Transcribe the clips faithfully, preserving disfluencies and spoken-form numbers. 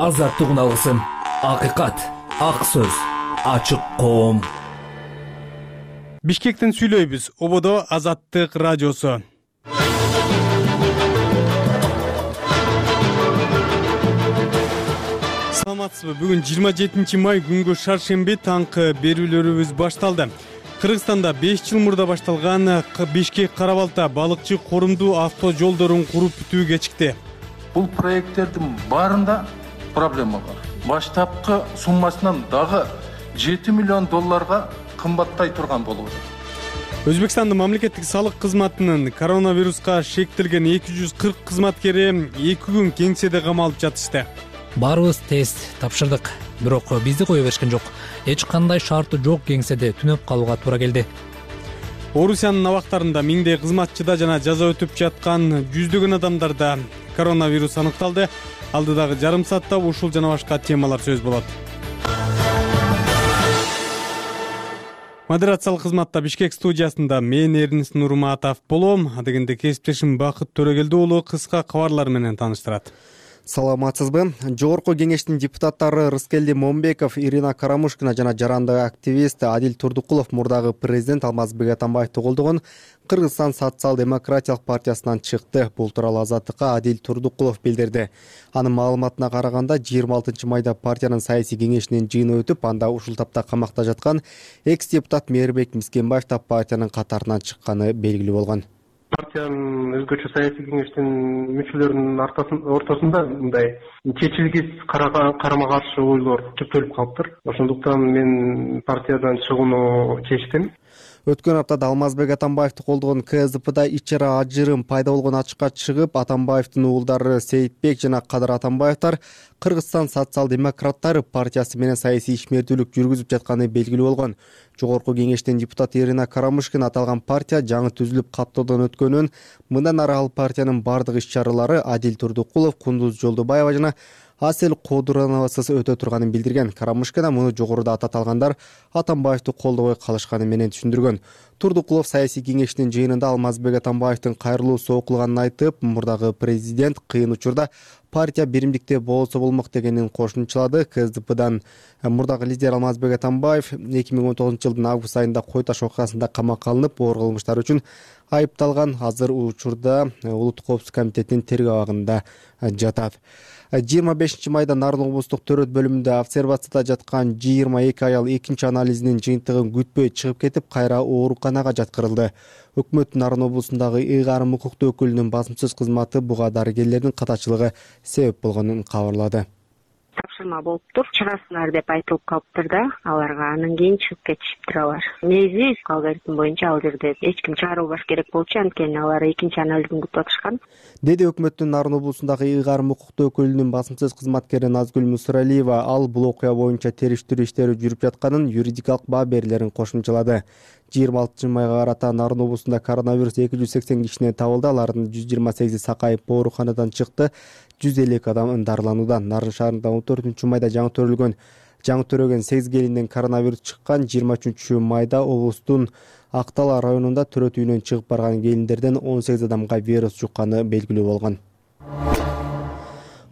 азаттык үналгысын, акыйкат, ак сөз, ачык коом. Бишкектен сүйлөйбүз. Ободо Азаттык радиосу. Саламатсызбы? Бүгүн жыйырма жетинчи май күнгө шаршемби таңкы берүүлөрүбүз башталды. Кыргызстанда беш жыл мурда башталган Бишкек-Кара-Балта балыкчы корумдуу авто жолдорун куруп бүтүү кечикти. Бул проекттердин баарында проблема бар. Баштапкы суммасынан дагы жети миллион долларга кымбаттай турган болуп атат. Өзбекстандын мамлекеттик салык кызматынын коронавируска шектелген эки жүз кырк кызматкери эки күн кеңседе камалып жатышты. Баарыбыз тест тапшырдык, бирок бизди кое беришкен жок. Эч кандай шарты жок кеңседе түнөп калууга туура келди. Орусиянын абактарында миңдей кызматчыда жана жаза өтүп жаткан жүздөгөн адамдарда коронавирус аныкталды. Алдыдагы жарым саатта ушул жана башка темалар сөз болот. Модерациялык кызматта Бишкек студиясында мен Эрнис Нурматов болом. Адегенде кесиптешим Бакыт Төрөгелди уулу кыска кабарлар менен тааныштырат. Саламатсызбы? Жогорку кеңештин депутаттары Рыскелди Момбеков, Ирина Карамушкина жана жарандык активист Адил Турдукулов мурдагы президент Алмазбек Атамбаевди колдогон Кыргызстан социал-демократиялык партиясынан чыкты. Бул тууралуу Азаттыкка Адил Турдукулов билдирди. Анын маалыматына караганда жыйырма алтынчы майда партиянын саясий кеңешинин жыйыны өтүп, анда ушул тапта камакта жаткан экс-депутат Мээрбек Мискенбаев да партиянын катарынан чыкканы белгилүү болгон. Партиянын өзгөчө саясий кеңештин мүчөлөрүнүн ортосунда мындай чечилгис карама каршы ойлор көптөлүп калыптыр. Ошондуктан мен партиядан чыгууну чечтим. Өткөн аптада Алмазбек Атамбаевди колдогон КСДПда ичара ажырым пайда болгон ачыкка чыгып, Атамбаевдин уулдары Сейитбек жана Кадыр Атамбаевдер Кыргызстан социал-демократтар партиясы менен саясий ишмердүүлүк жүргүзүп жатканы белгилүү болгон. Жогорку кеңештин депутаты Ирина Карамушкина аталган партия жаңы түзүлүп каттоодон өткөнүн, мындан ары ал партиянын бардык иш-чаралары Адил Турдукулов, Кундуз Жолдубаева жана Асель Кодурановасыз өтө турганын билдирген. Карамушкина муну жогоруда атат алгандар Атамбаевди колдобой калышканы менен түшүндүргөн. Турдукулов саясий кеңештин жыйынында Алмазбек Атамбаевдин кайрылуусу окулганын айтып, мурдагы президент кыйын учурда партия биримдикте болсо болмок дегенин кошумчалады. КСДПдан мурдагы лидер Алмазбек Атамбаев эки миң он тогузунчу жылдын август айында Кой Таш окуясында камакка алынып, оор кылмыштар үчүн айыпталган. Азыр учурда Улуттук коопсуздук комитетинин тергөө абагында жатат. жыйырма бешинчи майда Нарын облустук төрөт бөлүмүндө обсервацияда жаткан жыйырма эки аял экинчи анализинин жыйынтыгын күтпөй чыгып кетип, кайра ооруканага жаткырылды. Өкмөт Нарын облусундагы ыйгарым укуктуу өкүлүнүн басымсыз кызматы буга дарыгерлердин катачылыгы себеп болгонун кабарлады. Тапшырма болуптур, чыгасыңар деп айтылып калыптыр да, аларга анан кийин чыгып кетишиптир алар. Негизи алгоритм боюнча ал жерде эч ким чыгарылбаш керек болчу, анткени алар экинчи анализин күтүп атышкан. Деди өкмөттүн Нарын облусундагы ыйгарым укуктуу өкүлүнүн басымсыз кызматкери Назгүл Мусуралиева ал бул окуя боюнча териштирүү иштери жүрүп жатканын, юридикалык баа берилерин кошумчалады. жыйырма алтынчы майга карата Нарын облусунда коронавирус эки жүз сексен кишинен табылды. Алардын жүз жыйырма сегизи сакайып ооруканадан чыкты. жүз элүү эки адам дарыланууда. Нарын шаарында он төртүнчү майда жаңы төрөлгөн жаңы төрөгөн сегиз келинден коронавирус чыккан. жыйырма үчүнчү майда облустун Актала районунда төрөт үйүнөн чыгып барган келиндерден он сегиз адамга вирус жукканы белгилүү болгон.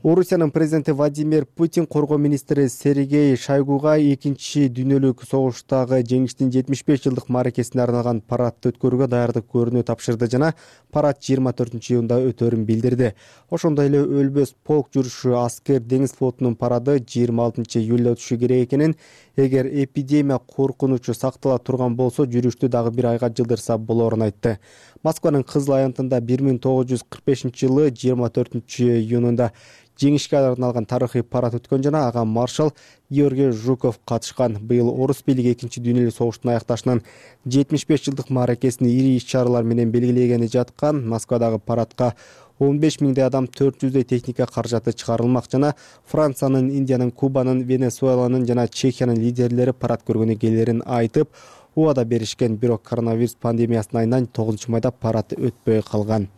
Орусиянын президенти Владимир Путин коргоо министри Сергей Шойгуга экинчи дүйнөлүк согуштагы жеңиштин жетимиш беш жылдык мааракесине арналган парадты өткөрүүгө даярдык көрүүнү тапшырды жана парад жыйырма төртүнчү июнда өтөрүн билдирди. Ошондой эле өлбөс полк жүрүшү аскер деңиз флотунун парады жыйырма алтынчы июлда өтүшү керек экенин, эгер эпидемия коркунучу сактала турган болсо жүрүштү дагы бир айга жылдырса болоорун айтты. Москванын Кызыл аянтында бир миң тогуз жүз кырк бешинчи жылы жыйырма төртүнчү июнунда жеңишке арналган тарыхый парад өткөн жана ага маршал Георгий Жуков катышкан. Быйыл орус бийлиги экинчи дүйнөлүк согуштун аякташынан жетимиш беш жылдык мааракесин ири иш-чаралар менен белгилегени жаткан. Москвадагы парадка он беш миңдей адам, төрт жүздөй техника каражаты чыгарылмак жана Франциянын, Индиянын, Кубанын, Венесуэланын жана Чехиянын лидерлери парад көргөнү келерин айтып, убада беришкен. Бирок коронавирус пандемиясынын айынан тогузунчу майда парад өтпөй калган.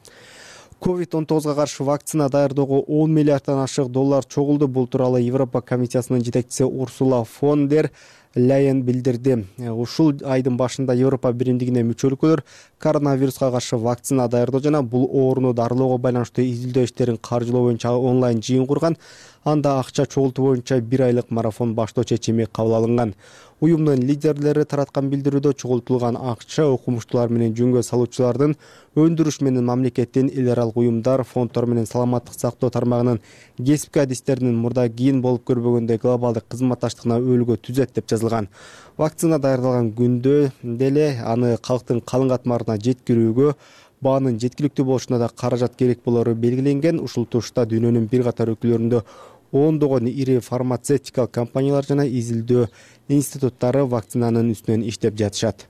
ковид он тогузга каршы вакцина даярдоого он миллиарддан ашык доллар чогулду. Бул тууралуу Европа комиссиясынын жетекчиси Урсула фон дер Ляйен билдирди. Ушул айдын башында Европа биримдигине мүчө өлкөлөр коронавируска каршы вакцина даярдоо жана бул ооруну дарылоого байланыштуу изилдөө иштерин каржылоо боюнча онлайн жыйын курган. Анда акча чогултуу боюнча бир айлык марафон баштоо чечими кабыл алынган. Уюмдун лидерлери тараткан билдирүүдө чогултулган акча окумуштуулар менен жөнгө салуучулардын, өндүрүш менен мамлекеттин, эл аралык уюмдар, фонддор менен саламаттык сактоо тармагынын кесипки адистеринин мурда кийин болуп көрбөгөндөй глобалдык кызматташтыгына өөлгө түзөт деп жазылган. Вакцина даярдалган күндө деле аны калктын калың катмарына жеткирүүгө, баанын жеткиликтүү болушуна да каражат керек болору белгиленген. Ушул тушта дүйнөнүн бир катар өлкөлөрүндө ондогон ири фармацевтикалык компаниялар жана изилдөө институттары вакцинанын үстүнөн иштеп жатышат.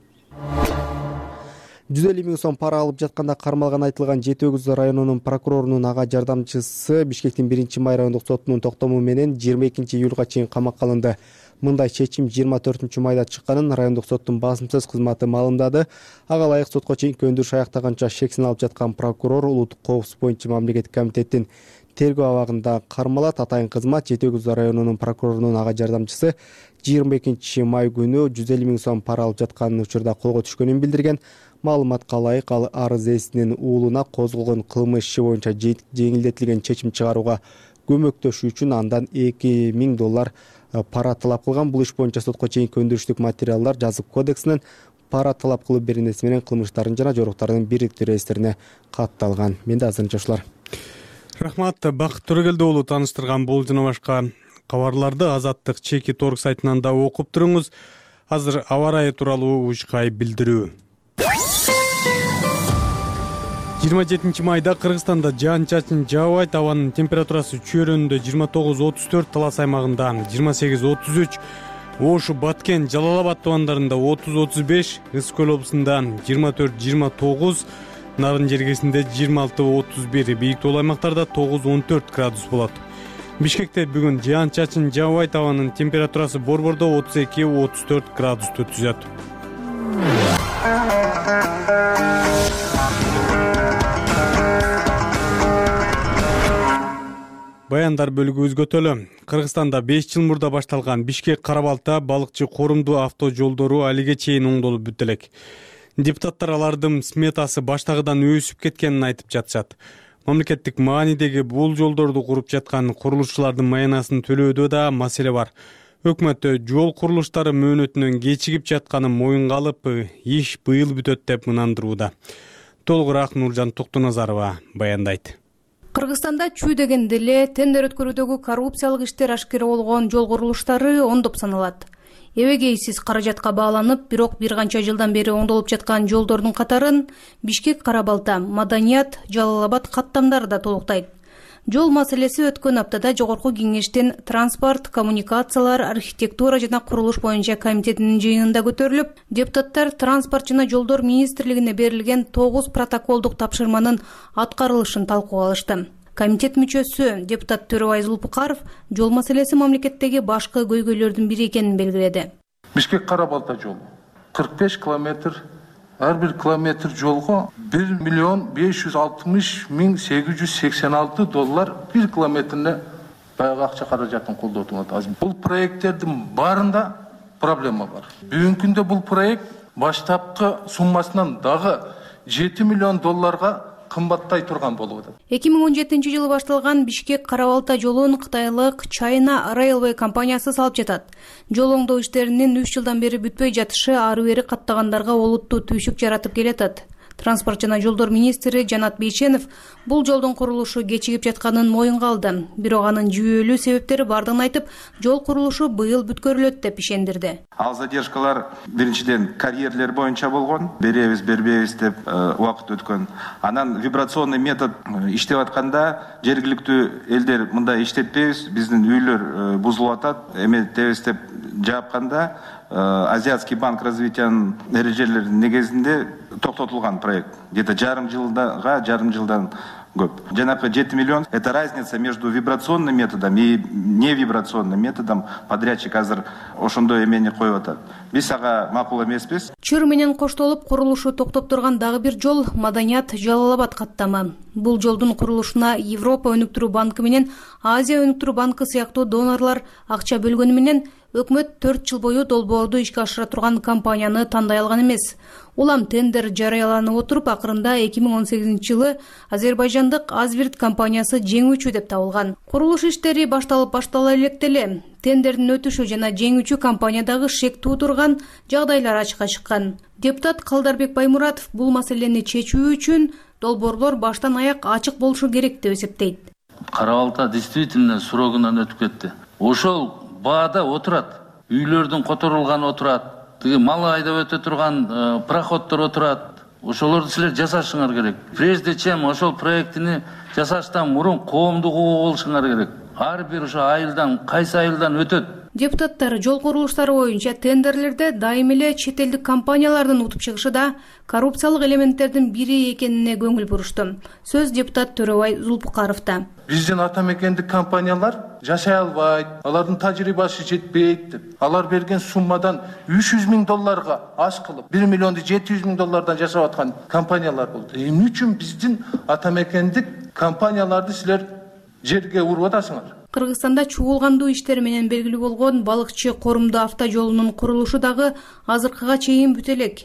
жүз элүү миң сом пара алып жатканда кармалган айтылган Жети Өгүз районунун прокурорунун ага жардамчысы Бишкектин биринчи май райондук сотунун токтому менен жыйырма экинчи июлга чейин камакка алынды. Мындай чечим жыйырма төртүнчү майда чыкканын райондук соттун басымсыз кызматы маалымдады. Ага ылайык сотко чейинки өндүрүш аяктаганча шексин алып жаткан прокурор улуттук коопсуздук боюнча мамлекеттик комитеттин тергөө абагында кармалат. Атайын кызмат Жети Өгүз районунун прокурорунун ага жардамчысы жыйырма экинчи май күнү жүз элүү миң сом пара алып жаткан учурда колго түшкөнүн билдирген. Маалыматка ылайык ал арыз ээсинин уулуна козголгон кылмыш иши боюнча жеңилдетилген чечим чыгарууга көмөктөшүү үчүн андан эки миң доллар пара талап кылган. Бул иш боюнча сотко чейинки өндүрүштүк материалдар жазык кодексинин пара талап кылуу беренеси менен кылмыштардын жана жоруктардын бириктүү реестрине катталган. Менде азырынча ушулар. Рахмат. Бакыт Төрөгелди уулу тааныштырган бул жана башка кабарларды Азаттык чеки торг сайтынан да окуп туруңуз. Азыр аба ырайы тууралуу ушкай билдирүү. жыйырма жетинчи майда Кыргызстанда жаан-чачын жаабайт, абанын температурасы чөйрөндө жыйырма тогуз отуз төрт, Талас аймагында жыйырма сегиз отуз үч, Ошу, Баткен, Жалал Абад тубандарында отуз отуз беш, Ысык Көл облусунда жыйырма төрт жыйырма тогуз, Нарын жергесинде жыйырма алты отуз бир, бийик тоол аймактарда тогуз он төрт градус болот. Бишкекте бүгүн жаан-чачын жаабайт, абанын температурасы борбордо отуз эки отуз төрт градусту түзөт. Баяндар бөлүгү өзгөтөлү. Кыргызстанда беш жыл мурда башталган Бишкек-Кара-Балта балыкчы корумдуу авто жолдору алиге чейин оңдолуп бүтө элек. Депутаттар алардын сметасы баштагыдан өсүп кеткенин айтып жатышат. Мамлекеттик маанидеги бул жолдорду куруп жаткан курулушчулардын маянасын төлөөдө да маселе бар. Өкмөттө жол курулуштары мөөнөтүнөн кечигип жатканы моюнга алып, иш быйыл бүтөт деп ынандырууда. Толугураак Нуржан Токтоназарова баяндайт. Кыргызстанда чүй дегенде эле тендер өткөрүүдөгү коррупциялык иштер ашкера болгон жол курулуштары ондоп саналат. Эбегейсиз каражатка бааланып, бирок бир канча жылдан бери оңдолуп жаткан жолдордун катарын Бишкек-Кара-Балта, Маданият, Жалал Абад каттамдары да толуктайт. Жол маселеси өткөн аптада Жогорку Кеңештин транспорт, коммуникациялар, архитектура жана курулуш боюнча комитетинин жыйынында көтөрүлүп, депутаттар транспорт жана жолдор министрлигине берилген тогуз протоколдук тапшырманын аткарылышын талкууга алышты. Комитет мүчөсү депутат Төрөбай Зулпукаров жол маселеси мамлекеттеги башкы көйгөйлөрдүн бири экенин белгиледи. Бишкек-Кара-Балта жолу кырк беш километр, ар бир километр жолго бир миллион беш жүз алтымыш миң сегиз жүз сексен алты доллар бир километрине баягы акча каражатын колдотуп атат. Бул проекттердин баарында проблема бар. Бүгүнкү күндө бул проект баштапкы суммасынан дагы жети миллион долларга кымбаттай турган болуп атат. эки миң он жетинчи жылы башталган Бишкек-Кара-Балта жолун кытайлык China Railway компаниясы салып жатат. Жол оңдоо иштеринин үч жылдан бери бүтпөй жатышы ары бери каттагандарга олуттуу түйшүк жаратып келатат. Транспорт жана жолдор министри Жанат Бейшенов бул жолдун курулушу кечигип жатканын моюнга алды. Бирок анын жүйөлүү себептери бардыгын айтып, жол курулушу быйыл бүткөрүлөт деп ишендирди. Ал задержкалар биринчиден карьерлер боюнча болгон, беребиз, бербейбиз деп убакыт өткөн. Анан вибрационный метод иштеп атканда жергиликтүү элдер мындай иштетпейбиз, биздин үйлөр бузулуп атат, эметебиз деп жаапканда Азиатский банк развитиянын эрежелеринин негизинде токтотулган проект. Где-то жарым жылдага, жарым жылдан көп. Жанагы жети миллион — это разница между вибрационным методом и невибрационным методом. Подрядчик азыр ошондой эмени коюп атат. Биз ага макул эмеспиз. Чыр менен коштолуп курулушу токтоп турган дагы бир жол Маданият Жалал Абад каттамы. Бул жолдун курулушуна Европа өнүктүрүү банкы менен Азия өнүктүрүү банкы сыяктуу донорлор акча бөлгөнү менен өкмөт төрт жыл бою долбоорду ишке ашыра турган компанияны тандай алган эмес. Улам тендер жарыяланып отуруп, акырында эки миң он сегизинчи жылы азербайжандык Азбирт компаниясы жеңүүчү деп табылган. Курулуш иштери башталып баштала электе эле тендердин өтүшү жана жеңүүчү компаниядагы шек туудурган жагдайлар ачыкка чыккан. Депутат Калдарбек Баймуратов бул маселени чечүү үчүн долбоорлор баштан аяк ачык болушу керек деп эсептейт. Кара балта действительно срогунан өтүп кетти. Ошол баада отурат, үйлөрдүн которулганы отурат. Тиги мал айдап өтө турган пароходдор отурат. Ошолорду силер жасашыңар керек. Прежде чем ошол проектини жасаштан мурун коомдук угуу болушуңар керек. Ар бир ошо айылдан, кайсы айылдан өтөт. Депутаттар жол курулуштары боюнча тендерлерде дайым эле чет элдик компаниялардын утуп чыгышы да коррупциялык элементтердин бири экенине көңүл бурушту. Сөз депутат Төрөбай Зулпукаровда. Биздин ата мекендик компаниялар жашай албайт, алардын тажрыйбасы жетпейт деп. Алар берген суммадан үч жүз миң долларга аз кылып, бир миллионду жети жүз миң доллардан жашап аткан компаниялар болду. Эмне үчүн биздин ата мекендик компанияларды силер жерге уруп атасыңар? Кыргызстанда чугулгандуу иштери менен белгилүү болгон балыкчы корумду автожолунун курулушу дагы азыркыга чейин бүтө элек.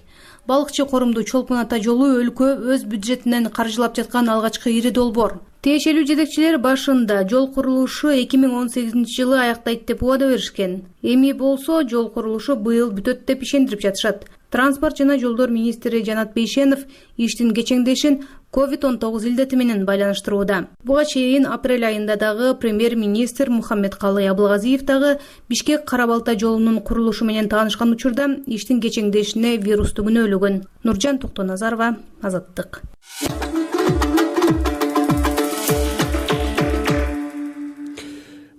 Балыкчы корумду Чолпон ата жолу өлкө өз бюджетинен каржылап жаткан алгачкы ири долбоор. Тиешелүү жетекчилер башында жол курулушу эки миң он сегизинчи жылы аяктайт деп убада беришкен. Эми болсо жол курулушу быйыл бүтөт деп ишендирип жатышат. Транспорт жана жолдор министри Жанат Бейшенов иштин кечеңдешин ковид он тогуз илдети менен байланыштырууда. Буга чейин апрель айында дагы премьер-министр Мухаммедкалы Абылгазиев дагы Бишкек Кара балта жолунун курулушу менен таанышкан учурда иштин кечеңдешине вирусту күнөөлөгөн. Нуржан Токтоназарова, Азаттык.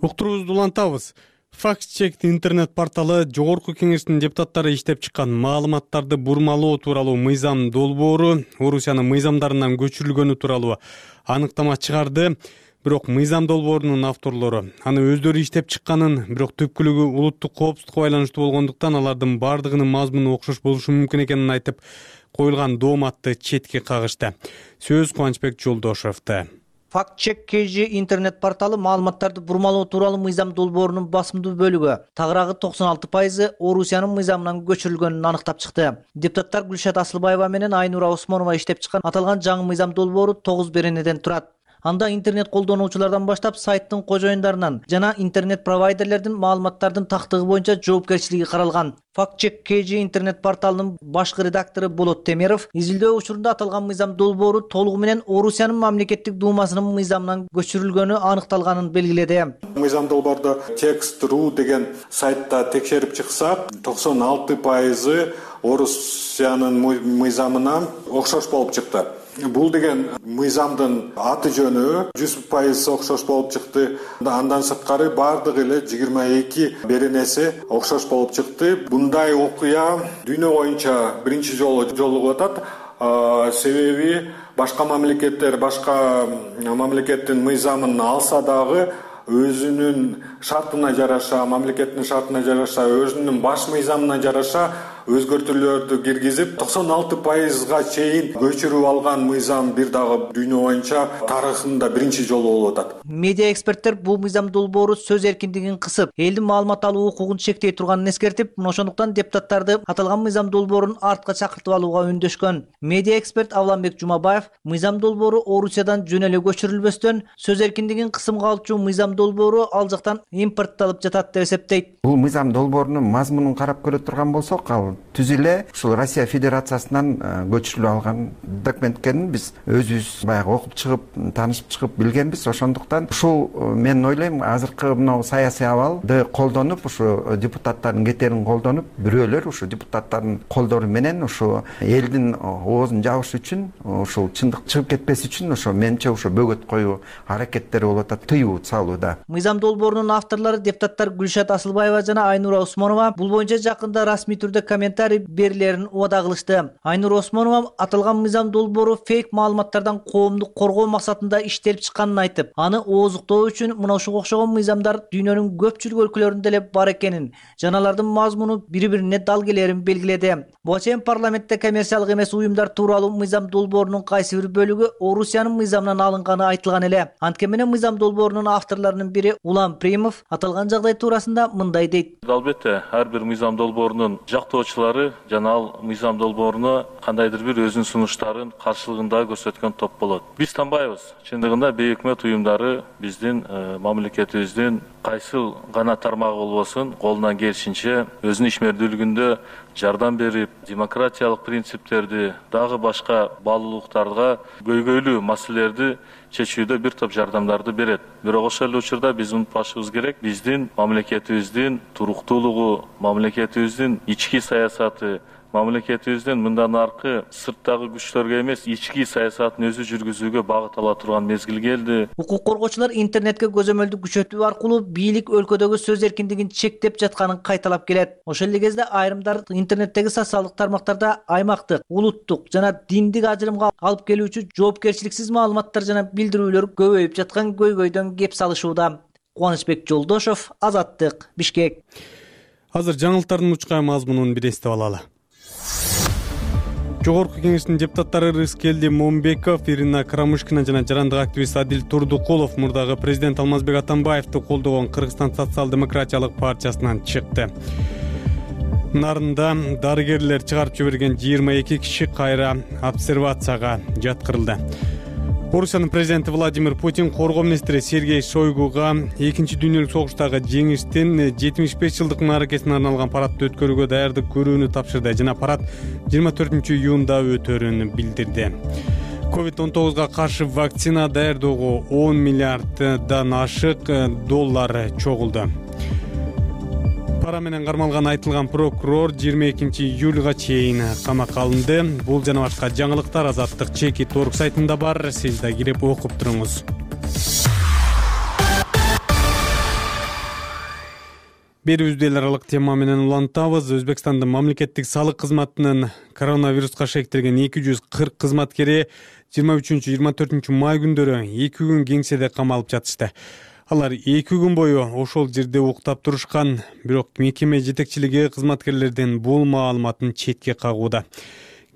Уктуруубузду улантабыз. Факт-чек интернет порталы Жогорку Кеңештин депутаттары иштеп чыккан маалыматтарды бурмалоо тууралуу мыйзам долбоору Орусиянын мыйзамдарынан көчүрүлгөнү тууралуу аныктама чыгарды. Бирок мыйзам долбоорунун авторлору аны өздөрү иштеп чыкканын, бирок түпкүлүгү улуттук коопсуздукка байланыштуу болгондуктан алардын бардыгынын мазмуну окшош болушу мүмкүн экенин айтып, коюлган дооматты четке кагышты. Сөз Кубанычбек Жолдошевде. Факт-чек кей жи интернет порталы маалыматтарды бурмалоо тууралуу мыйзам долбоорунун басымдуу бөлүгү, тагыраагы токсон алты пайызы Орусиянын мыйзамынан көчүрүлгөнүн аныктап чыкты. Депутаттар Гүлшат Асылбаева менен Айнура Осмонова иштеп чыккан аталган жаңы мыйзам долбоору тогуз беренеден турат. Анда интернет колдонуучулардан баштап сайттын кожоюндарынан жана интернет провайдерлердин маалыматтардын тактыгы боюнча жоопкерчилиги каралган. Факт-чек кей жи интернет порталынын башкы редактору Болот Темиров изилдөө учурунда аталган мыйзам долбоору толугу менен Орусиянын мамлекеттик думасынын мыйзамынан көчүрүлгөнү аныкталганын белгиледи. Мыйзам долбоордо текст точка ру деген сайтта текшерип чыксак, токсон алты пайызы Орусиянын мыйзамына окшош болуп чыкты. Бул деген мыйзамдын аты жөнү жүз пайыз окшош болуп чыкты. Андан сырткары бардыгы эле жыйырма эки беренеси окшош болуп чыкты. Мындай окуя дүйнө боюнча биринчи жолу жолугуп атат. Себеби башка мамлекеттер башка мамлекеттин мыйзамын алса дагы өзүнүн шартына жараша, мамлекеттин шартына жараша, өзүнүн баш мыйзамына жараша өзгөртүүлөрдү киргизип, токсон алты пайызга чейин көчүрүп алган мыйзам бир дагы дүйнө боюнча тарыхында биринчи жолу болуп атат. Медиа эксперттер бул мыйзам долбоору сөз эркиндигин кысып, элдин маалымат алуу укугун чектей турганын эскертип, ошондуктан депутаттарды аталган мыйзам долбоорун артка чакыртып алууга үндөшкөн. Медиа эксперт Авланбек Жумабаев мыйзам долбоору Орусиядан жөн эле көчүрүлбөстөн сөз эркиндигин кысымга алчу мыйзам долбоору ал жактан импортталып жатат деп эсептейт. Бул мыйзам долбоорунун мазмунун карап көрө турган болсок, ал түз эле ушул Россия Федерациясынан көчүрүлүп алган документ экенин биз өзүбүз баягы окуп чыгып, таанышып чыгып билгенбиз. Ошондуктан ушул мен ойлойм, азыркы мына саясий абалды колдонуп, ушу депутаттардын кетерин колдонуп, бирөөлөр ушу депутаттардын колдору менен ушу элдин оозун жабыш үчүн, ушул чындык чыгып кетпеси үчүн ошо менимче ошо бөгөт коюу аракеттери болуп атат, тыюу салууда. Мыйзам долбоорунун авторлору депутаттар Гүлшат Асылбаева жана Айнура Осмонова бул боюнча жакында расмий түрдө коммент комментарий берилерин убада кылышты. Айнур Осмонова аталган мыйзам долбоору фейк маалыматтардан коомду коргоо максатында иштелип чыкканын айтып, аны ооздуктоо үчүн мына ушуга окшогон мыйзамдар дүйнөнүн көпчүлүк өлкөлөрүндө эле бар экенин, жана алардын мазмуну бири-бирине дал келерин белгиледи. Буга чейин парламентте коммерциялык эмес уюмдар тууралуу мыйзам долбоорунун кайсы бир бөлүгү Орусиянын мыйзамынан алынганы айтылган эле. Анткени менен мыйзам долбоорунун авторлорунун бири Улан Примов аталган жагдай туурасында мындай дейт. Албетте, ар бир мыйзам долбоорунун жактоочулары жана ал мыйзам долбооруна кандайдыр бир өзүнүн сунуштарын каршылыгында көрсөткөн топ болот. Биз танбайбыз. Чындыгында бейөкмөт уюмдары биздин мамлекетибиздин кайсыл гана тармагы болбосун колунан келишинче өзүнүн ишмердүүлүгүндө жардам берип, демократиялык принциптерди, дагы башка баалуулуктарга көйгөйлүү маселелерди чечүүдө бир топ жардамдарды берет. Бирок ошол эле учурда биз унутпашыбыз керек, биздин мамлекетибиздин туруктуулугу, мамлекетибиздин ички саясаты, мамлекетибиздин мындан аркы сырттагы күчтөргө эмес, ички саясатын өзү жүргүзүүгө багыт ала турган мезгил келди. Укук коргоочулар интернетке көзөмөлдү күчөтүү аркылуу бийлик өлкөдөгү сөз эркиндигин чектеп жатканын кайталап келет. Ошол эле кезде айрымдар интернеттеги социалдык тармактарда аймактык, улуттук жана диндик ажырымга алып келүүчү жоопкерчиликсиз маалыматтар жана билдирүүлөр көбөйүп жаткан көйгөйдөн кеп салышууда. Кубанычбек Жолдошов, Азаттык, Бишкек. Азыр жаңылыктардын учкай мазмунун бир эстеп алалы. Жогорку кеңештин депутаттары Рыскелди Момбеков, Ирина Карамушкина жана жарандык активист Адил Турдукулов мурдагы президент Алмазбек Атамбаевди колдогон Кыргызстан социал-демократиялык партиясынан чыкты. Нарында дарыгерлер чыгарып жиберген жыйырма эки киши кайра обсервацияга жаткырылды. Орусиянын президенти Владимир Путин коргоо министри Сергей Шойгуга экинчи дүйнөлүк согуштагы жеңиштин жетимиш беш жылдык мааракесине арналган парадты өткөрүүгө даярдык көрүүнү тапшырды жана парад жыйырма төртүнчү июнда өтөрүн билдирди. ковид он тогузга каршы вакцина даярдоого он миллиарддан ашык доллар чогулду. Пара менен кармалган айтылган прокурор жыйырма экинчи июлга чейин камакка алынды. Бул жана башка жаңылыктар Азаттык чеки торг сайтында бар. Сиз да кирип окуп туруңуз. Берүүбүздү эл аралык тема менен улантабыз. Өзбекстандын мамлекеттик салык кызматынын коронавируска шектелген эки жүз кырк кызматкери жыйырма үчүнчү жыйырма төртүнчү май күндөрү эки күн кеңседе камалып жатышты. Алар эки күн бою ошол жерде уктап турушкан, бирок мекеме жетекчилиги кызматкерлердин бул маалыматын четке кагууда.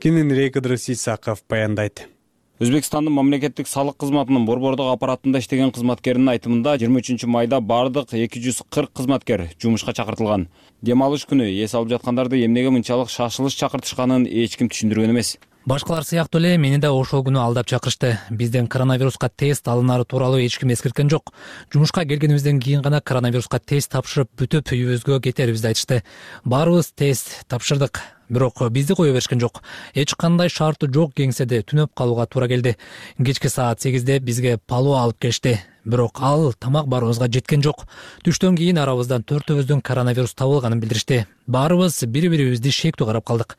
Кененирээк Ыдырыс Исаков баяндайт. Өзбекстандын мамлекеттик салык кызматынын борбордук аппаратында иштеген кызматкеринин айтымында жыйырма үчүнчү майда бардык эки жүз кырк кызматкер жумушка чакыртылган. Дем алыш күнү эс алып жаткандарды эмнеге мынчалык шашылыш чакыртышканын эч ким түшүндүргөн эмес. Башкалар сыяктуу эле мени да ошол күнү алдап чакырышты. Бизден коронавируска тест алынары тууралуу эч ким эскерткен жок. Жумушка келгенибизден кийин гана коронавируска тест тапшырып бүтүп үйүбүзгө кетерибизди айтышты. Баарыбыз тест тапшырдык. Бирок бизди кое беришкен жок. Эч кандай шарты жок кеңседе түнөп калууга туура келди. Кечки саат сегизде бизге палоо алып келишти. Бирок ал тамак барыбызга жеткен жок. Түштөн кийин арабыздан төртөөбүздүн коронавирус табылганын билдиришти. Баарыбыз бири-бирибизди шектүү карап калдык.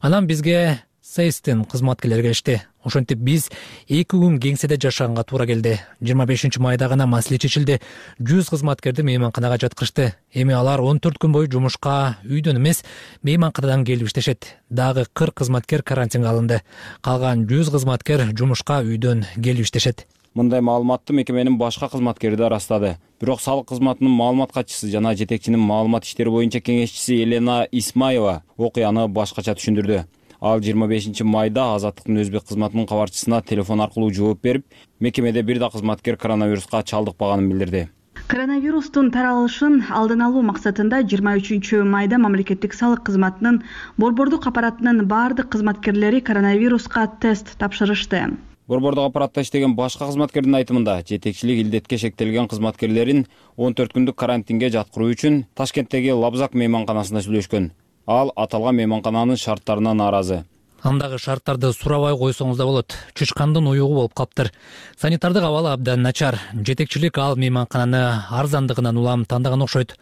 Анан бизге Сейстин кызматкерлери келишти. Ошентип биз эки күн кеңседе жашаганга туура келди. жыйырма бешинчи майда гана маселе чечилди. жүз кызматкерди мейманканага жаткырышты. Эми алар он төрт күн бою жумушка үйдөн эмес, мейманканадан келип иштешет. Дагы кырк кызматкер карантинге алынды. Калган жүз кызматкер жумушка үйдөн келип иштешет. Мындай маалыматты мекеменин башка кызматкери да ырастады. Бирок салык кызматынын маалымат катчысы жана жетекчинин маалымат иштери боюнча кеңешчиси Елена Исмаева окуяны башкача түшүндүрдү. Ал жыйырма бешинчи майда Азаттыктын өзбек кызматынын кабарчысына телефон аркылуу жооп берип, мекемеде бир да кызматкер коронавируска чалдыкпаганын билдирди. Коронавирустун таралышын алдын алуу максатында жыйырма үчүнчү майда мамлекеттик салык кызматынын борбордук аппаратынын баардык кызматкерлери коронавируска тест тапшырышты. Борбордук аппаратта иштеген башка кызматкердин айтымында, жетекчилик илдетке шектелген кызматкерлерин он төрт күндүк карантинге жаткыруу үчүн Ташкенттеги Лабзак мейманканасында сүйлөшкөн. Ал аталган мейманкананын шарттарына нааразы. Андагы шарттарды сурабай койсоңуз да болот. Чычкандын уюгу болуп калыптыр. Санитардык абалы абдан начар. Жетекчилик ал мейманкананы арзандыгынан улам тандаган окшойт.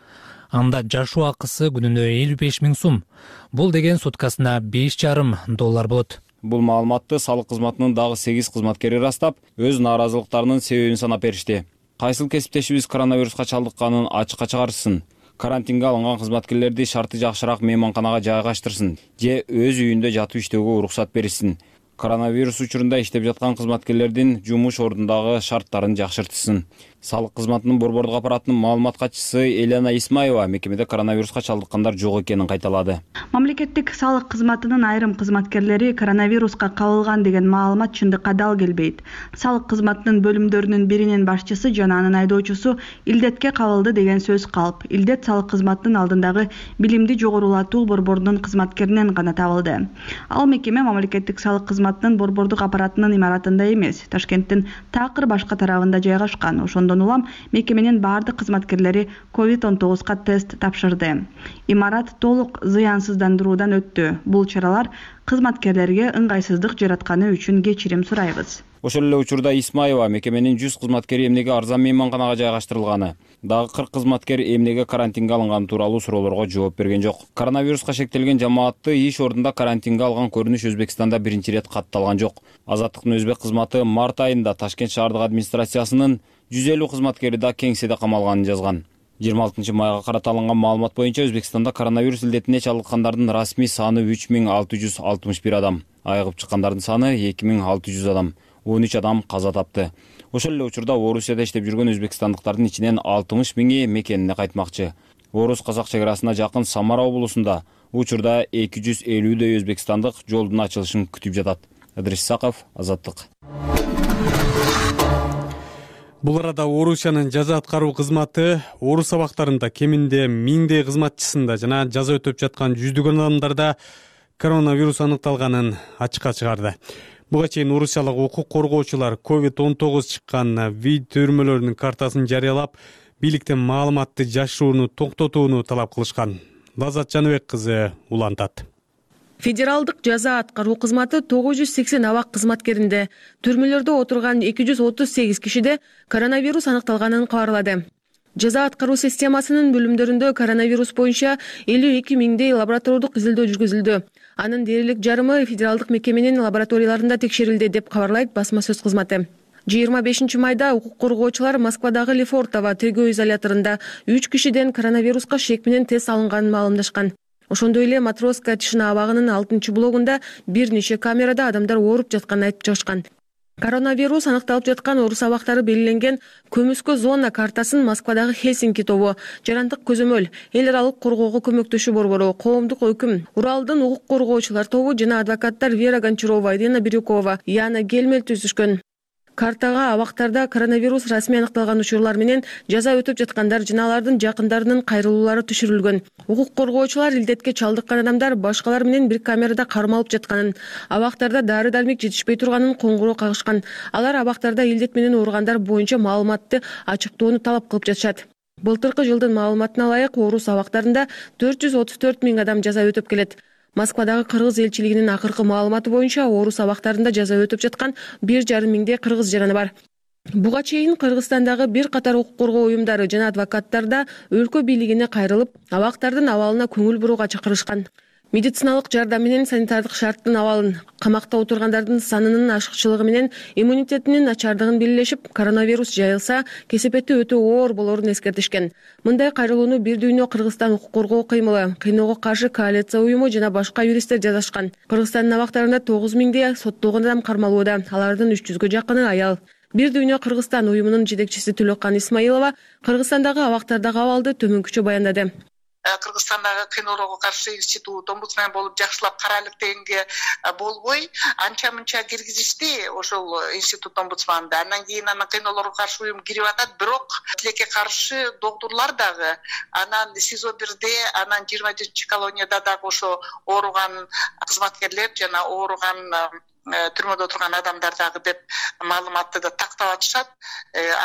Анда жашоо акысы күнүнө элүү беш миң сум. Бул деген суткасына беш жарым доллар болот. Бул маалыматты салык кызматынын дагы сегиз кызматкери ырастап, өз нааразылыктарынын себебин санап беришти. Кайсыл кесиптешибиз коронавируска чалдыкканын ачыкка чыгарышсын. карантинге алынган кызматкерлерди шарты жакшыраак мейманканага жайгаштырсын же өз үйүндө жатып иштөөгө уруксат берилсин. Коронавирус учурунда иштеп жаткан кызматкерлердин жумуш ордундагы шарттарын жакшыртсын. Салык кызматынын борбордук аппаратынын маалымат катчысы Елена Исмаева мекемеде коронавируска чалдыккандар жок экенин кайталады. Мамлекеттик салык кызматынын айрым кызматкерлери коронавируска кабылган деген маалымат чындыкка дал келбейт. Салык кызматынын бөлүмдөрүнүн биринин башчысы жана анын айдоочусу илдетке кабылды деген сөз калп. Илдет салык кызматынын алдындагы билимди жогорулатуу борбордунун кызматкеринен гана табылды. Ал мекеме мамлекеттик салык кызматынын борбордук аппаратынын имаратында эмес, Ташкенттин такыр башка тарабында жайгашкан. Ошондон улам мекеменин бардык кызматкерлери ковид он тогузга тест тапшырды. Имарат толук зыянсыздандыруудан өттү. Бул чаралар кызматкерлерге ыңгайсыздык жаратканы үчүн кечирим сурайбыз. Ошол эле учурда Исмаева мекеменин жүз кызматкери эмнеге арзан мейманканага жайгаштырылганы, дагы кырк кызматкер эмнеге карантинге алынганы тууралуу суроолорго жооп берген жок. Коронавируска шектелген жамаатты иш ордунда карантинге алган көрүнүш Өзбекстанда биринчи ирет катталган жок. Азаттыктын өзбек кызматы март айында Ташкент шаардык администрациясынын жүз элүү кызматкери да кеңседе камалганын жазган. жыйырма алтынчы майга карата алынган маалымат боюнча Өзбекстанда коронавирус илдетине чалдыккандардын расмий саны үч миң алты жүз алтымыш бир адам, айыгып чыккандардын саны эки миң алты жүз адам. он үч адам каза тапты. Ошол эле учурда Орусияда иштеп жүргөн өзбекстандыктардын ичинен алтымыш миңи мекенине кайтмакчы. Орус-казак чек арасына жакын Самара облусунда учурда эки жүз элүүдөй өзбекстандык жолдун ачылышын күтүп жатат. Ыдырис Саков, Азаттык. Бул арада Орусиянын жаза аткаруу кызматы Орус абактарында кеминде миңдей кызматчысында жана жаза өтөп жаткан жүздөгөн адамдарда коронавирус аныкталганын ачыкка чыгарды. Буга чейин орусиялык укук коргоочулар ковид он тогуз чыккан вид төрмөлөрүнүн картасын жарыялап, бийликтен маалыматты жашырууну токтотууну талап кылышкан. Лазат Жаныбек кызы улантат. Федералдык жаза аткаруу кызматы тогуз жүз сексен абак кызматкеринде, түрмөлөрдө отурган эки жүз отуз сегиз кишиде коронавирус аныкталганын кабарлады. Жаза аткаруу системасынын бөлүмдөрүндө коронавирус боюнча элүү эки миңдей лабораториялык изилдөө жүргүзүлдү. Анын дээрлик жарымы федералдык мекеменин лабораторияларында текшерилди деп кабарлайт басма сөз кызматы. жыйырма бешинчи майда укук коргоочулар Москвадагы Лефортово тергөө изоляторунда үч кишиден коронавируска шек менен тест алынганын маалымдашкан. Ошондой эле Матроска Тишина абагынын алтынчы блогунда бир нече камерада адамдар ооруп жатканын айтып чыгышкан. Коронавирус аныкталып жаткан орус абактары белгиленген көмүскө зона картасын Москвадагы Хельсинки тобу, Жарандык көзөмөл, эл аралык коргоого көмөктөшүү борбору, коомдук өкүм, Уралдын укук коргоочулар тобу жана адвокаттар Вера Гончарова, Ирина Бирюкова, Яна Гельмель түзүшкөн. Картага абактарда коронавирус расмий аныкталган учурлар менен жаза өтөп жаткандар жана алардын жакындарынын кайрылуулары түшүрүлгөн. Укук коргоочулар илдетке чалдыккан адамдар башкалар менен бир камерада кармалып жатканын, абактарда дары-дармек жетишпей турганын коңгуроо кагышкан. Алар абактарда илдет менен ооругандар боюнча маалыматты ачыктоону талап кылып жатышат. Былтыркы жылдын маалыматына ылайык орус абактарында төрт жүз отуз төрт миң адам жаза өтөп келет. Москвадагы кыргыз элчилигинин акыркы маалыматы боюнча орус абактарында жаза өтөп жаткан бир жарым миңдей кыргыз жараны бар. Буга чейин Кыргызстандагы бир катар укук коргоо уюмдары жана адвокаттар да өлкө бийлигине кайрылып, абактардын абалына көңүл бурууга чакырышкан. Медициналык жардам менен санитардык шарттын абалын, камакта отургандардын санынын ашыкчылыгы менен иммунитетинин начардыгын белгилешип, коронавирус жайылса, кесепети өтө оор болорун эскертишкен. Мындай кайрылууну Бир дүйнө Кыргызстан укук коргоо кыймылы, кыйноого каршы коалиция уюму жана башка юристтер жазышкан. Кыргызстандын абактарында тогуз миңдей соттолгон адам кармалууда, алардын үч жүзгө жакыны аял. Бир дүйнө Кыргызстан уюмунун жетекчиси Төлөккан Исмаилова Кыргызстандагы абактардагы абалды төмөнкүчө баяндады. Кыргызстандагы кыйноолорго каршы институт омбудсмен болуп жакшылап карайлык дегенге болбой анча мынча киргизишти ошол институт омбудсманда. Андан кийин анан кыйноолорго каршы уюм кирип атат, бирок тилекке каршы доктурлар дагы анан СИЗО бирде, анан жыйырма жетинчи колонияда дагы ошо ооруган кызматкерлер жана ооруган түрмөдө отурган адамдар дагы деп маалыматты да тактап атышат,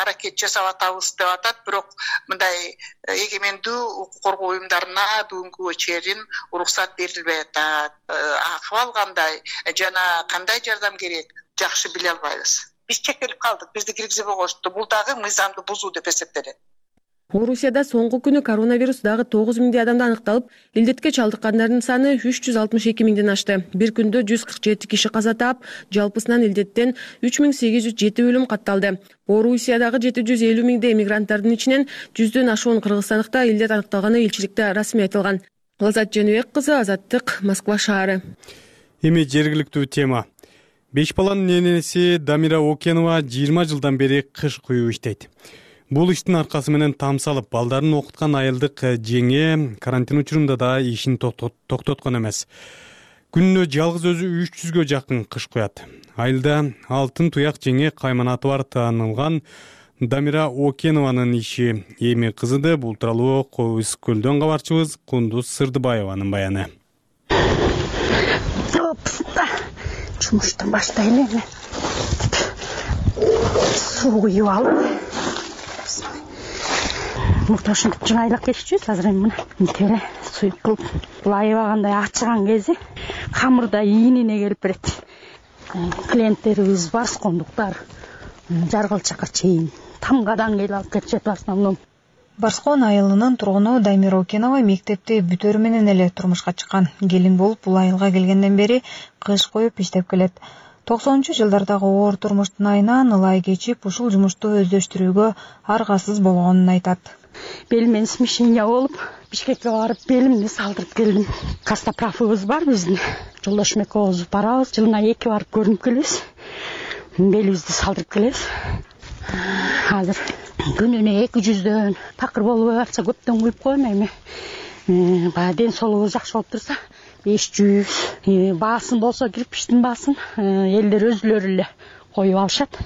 аракет жасап атабыз деп атат. Бирок мындай эгемендүү укук коргоо уюмдарына бүгүнкүгө чейин уруксат берилбей атат. Акыбал кандай жана кандай жардам керек жакшы биле албайбыз. Биз чектелип калдык, бизди киргизбей коюшту. Бул дагы мыйзамды бузуу деп эсептелет. Орусияда соңку күнү коронавирус дагы тогуз миңдей адамда аныкталып, илдетке чалдыккандардын саны үч жүз алтымыш эки миңден ашты. Бир күндө жүз кырк жети киши каза таап, жалпысынан илдеттен үч миң сегиз жүз жети өлүм катталды. Орусиядагы жети жүз элүү миңдей мигранттардын ичинен жүздөн ашуун кыргызстандыкта илдет аныкталганы элчиликте расмий айтылган. Лазат Женебек кызы, Азаттык, Москва шаары. Эми жергиликтүү тема. Беш баланын энеси Дамира Окенова жыйырма жылдан бери кыш куюу иштейт. Бул иштин аркасы менен там салып, балдарын окуткан айылдык жеңе карантин учурунда да ишин токтоткон эмес. Күнүнө жалгыз өзү үч жүзгө жакын кыш куят. Айылда алтын туяк жеңе кайманаты бар таанылган Дамира Окенованын иши эми кызыды. Бул тууралуу Кобуз көлдөн кабарчыбыз Кундуз Сырдыбаеванын баяны. Жумуштан баштайлы эми. Суу куюп алып. Мурда ушинтип жыңайлап кетчүбүз. Азыр эми мына тере суюк кылып, лайыбагандай ачыган кези камырда ийинине келип берет. Клиенттерибиз барскондуктар, жаргалчакка чейин тамгадан келип алып кетишет в основном. Барскон айылынын тургуну Дамира Окенова мектепти бүтөрү менен эле турмушка чыккан. Келин болуп бул айылга келгенден бери кыш коюп иштеп келет. токсонунчу жылдардагы оор турмуштун айынан ылай кечип, ушул жумушту өздөштүрүүгө аргасыз болгонун айтат. Белимен смещение болуп, Бишкекке барып белимди салдырып келдим. Костоправыбыз бар биздин. Жолдошум экөөбүз барабыз, жылына эки барып көрүнүп келебиз. Белибизди салдырып келебиз. Азыр күнүнө эки жүздөн такыр болбой барса көптөн куюп коем эми. Баягы ден соолугубуз жакшы болуп турса, беш жүз. Баасын болсо кирпичтин баасын элдер өзүлөрү эле коюп алышат.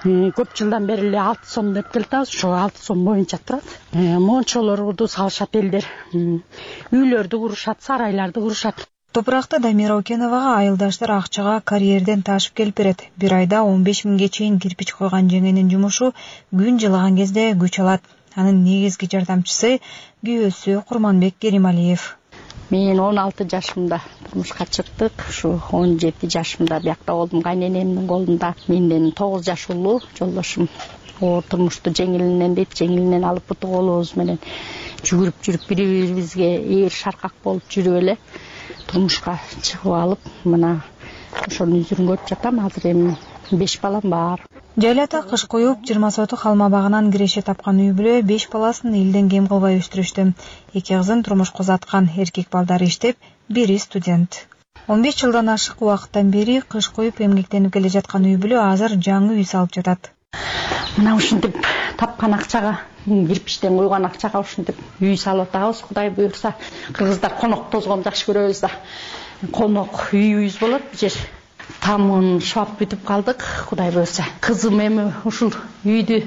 Көп жылдан бери эле алты сом деп келатабыз, ошо алты сом боюнча турат. Мончолорду салышат элдер. Үйлөрдү курушат, сарайларды курушат. Топуракты Дамира Океновага айылдаштар акчага карьерден ташып келип берет. Бир айда он беш миңге чейин кирпич койгон жеңенин жумушу күн жылыган кезде күч алат. Анын негизги жардамчысы күйөөсү Курманбек Керималиев. Мен он алты жашымда турмушка чыктык. Ушу он жети жашымда биякта болдум, кайненемдин колунда. Менден тогуз жаш улуу жолдошум. Оор турмушту жеңилинен дейт, жеңилинен алып буту колубуз менен жүгүрүп жүрүп бири-бирибизге ээр шаркак болуп жүрүп эле турмушка чыгып алып, мына ошонун үзүрүн көрүп жатам. Азыр эми беш балам бар. Жайлата кыш коюп, жыйырма сотук алма багынан киреше тапкан үй бүлө беш баласын элден кем кылбай өстүрүштү. Эки кызын турмушка узаткан, эркек балдары иштеп, бири студент. он беш жылдан ашык убакыттан бери кыш коюп эмгектенип келе жаткан үй бүлө азыр жаңы үй салып жатат. Мына ушинтип тапкан акчага, кирпичтен куйган акчага ушинтип үй салып атабыз. Кудай буйрса, кыргыздар конок тозгонду жакшы көрөбүз да. Конок үйүбүз болот бу жер. Тамын шап бүтүп калдык, Кудай буйрса. Кызым эми ушул үйдү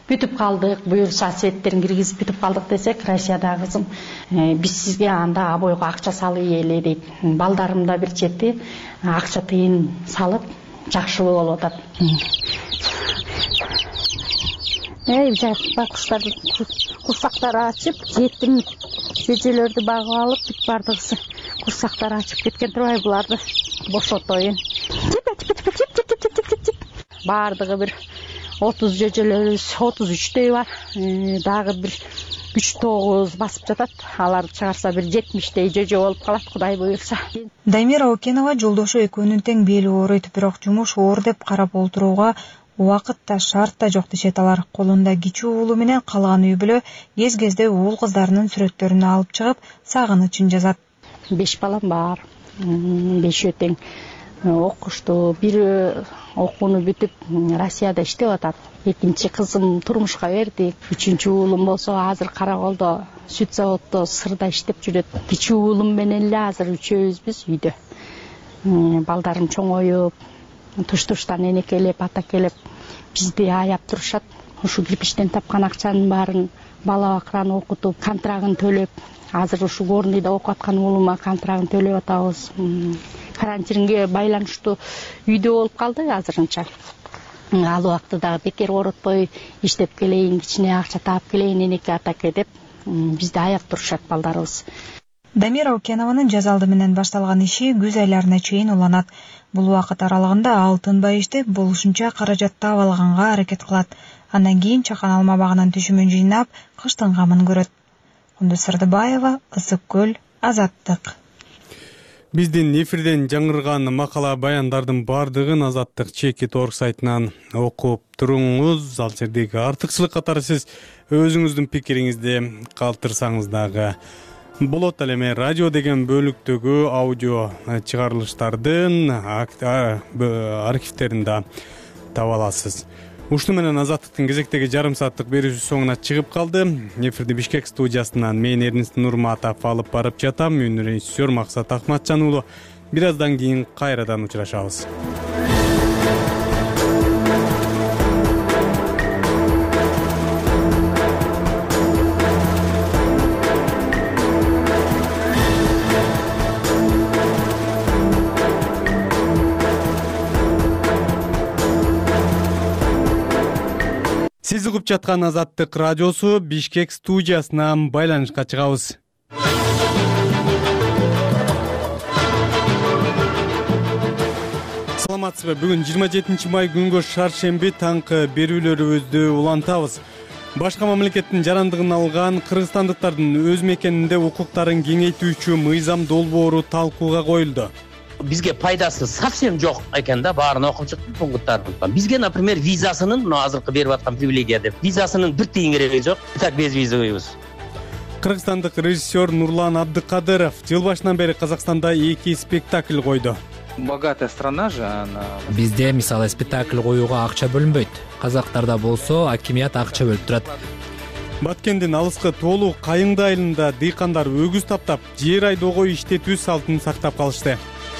бүтүп калдык, буйрса сеттерин киргизип бүтүп калдык десек, Россиядагы кызым, биз сизге анда обойго акча салыйлы дейт. Балдарым да бир чети акча тыйын салып жакшы болуп атат. Эй, бакуштар курсактары ачып, жетим жежелерди багып алып, бүт бардыгысы курсактары ачып кеткен турбай буларды бошотоюн. Бардыгы бир отуз жежелерибиз, отуз үчтөй бар. Дагы бир үч тогуз басып жатат. Алар чыгарса бир жетимиштей жеже болуп калат, Кудай буйрса. Дамира Окенова жолдошу экөөнүн тең бели ооруйт, бирок жумуш оор деп карап олтурууга убакыт да шарт да жок дешет алар. Колунда кичүү уулу менен калган үй бүлө кез-кезде уул кыздарынын сүрөттөрүн алып чыгып, сагынычын жазат. Беш балам бар. Бешөө тең окушту. Бири окууну бүтүп Россияда иштеп атат. Экинчи кызым турмушка бердик. Үчүнчү уулум болсо азыр Караколдо сүт заводдо сырда иштеп жүрөт. Кичүү уулум менен эле азыр үчөөбүзбүз үйдө. Балдарым чоңоюп, туш-туштан энекелеп, атакелеп бизди аяп турушат. Ушу кирпичтен тапкан акчанын баарын бала бакыраны окутуп, контрагын төлөп, азыр ушу Горныйда окуп аткан уулума контрагын төлөп атабыз. Карантинге байланыштуу үйдө болуп калды азырынча. Ал убактыда бекер оротпой иштеп келейин, кичине акча таап келейин, энеке атаке деп бизди аяп турушат балдарыбыз. Дамира Окенованын жаз алды менен башталган иши күз айларына чейин уланат. Бул убакыт аралыгында ал тынбай иштеп, болушунча каражат таап алганга аракет кылат. Андан кийин чакан алма багынан түшүмүн жыйнап, кыштын камын көрөт. Кундуз Сырдыбаева, Ысык көл, Азаттык. Биздин эфирден жаңырган макала баяндардын бардыгын Азаттык чекит орг сайтынан окуп туруңуз. Ал жердеги артыкчылык катары сиз өзүңүздүн пикириңизди калтырсаңыз дагы болот. Ал эми радио деген бөлүктөгү аудио чыгарылыштардын архивтерин да таба аласыз. Ушуну менен Азаттыктын кезектеги жарым сааттык берүүсү соңуна чыгып калды. Эфирди Бишкек студиясынан мен Эрнест Нурматов алып барып жатам. Мен режиссер Максат Акматжан уулу. Бир аздан кийин кайрадан учурашабыз. Сиз угуп жаткан Азаттык радиосу Бишкек студиясынан байланышка чыгабыз. Саламатсызбы? Бүгүн жыйырма жетинчи май күнгө шаршемби таңкы берүүлөрүбүздү улантабыз. Башка мамлекеттин жарандыгын алган кыргызстандыктардын өз мекенинде укуктарын кеңейтүүчү мыйзам долбоору талкууга коюлду. Бизге пайдасы совсем жок экен да, баарын окуп чыктым пункттарын. Бизге, например, визасынын, мына азыркы берип аткан привилегия деп, визасынын бир тиын кереги жок. Так без визабыз. Кыргызстандык режиссер Нурлан Абдыкадыров жыл башынан бери Казакстанда эки спектакль койду. Богатая страна же она. Бизде мисалы спектакль коюуга акча бөлүнбөйт. Казактарда болсо акимият акча бөлүп турат. Баткендин алыскы тоолуу Кайыңды айылында дыйкандар өгүз таптап, жер айдоого иштетүү салтын сактап калышты.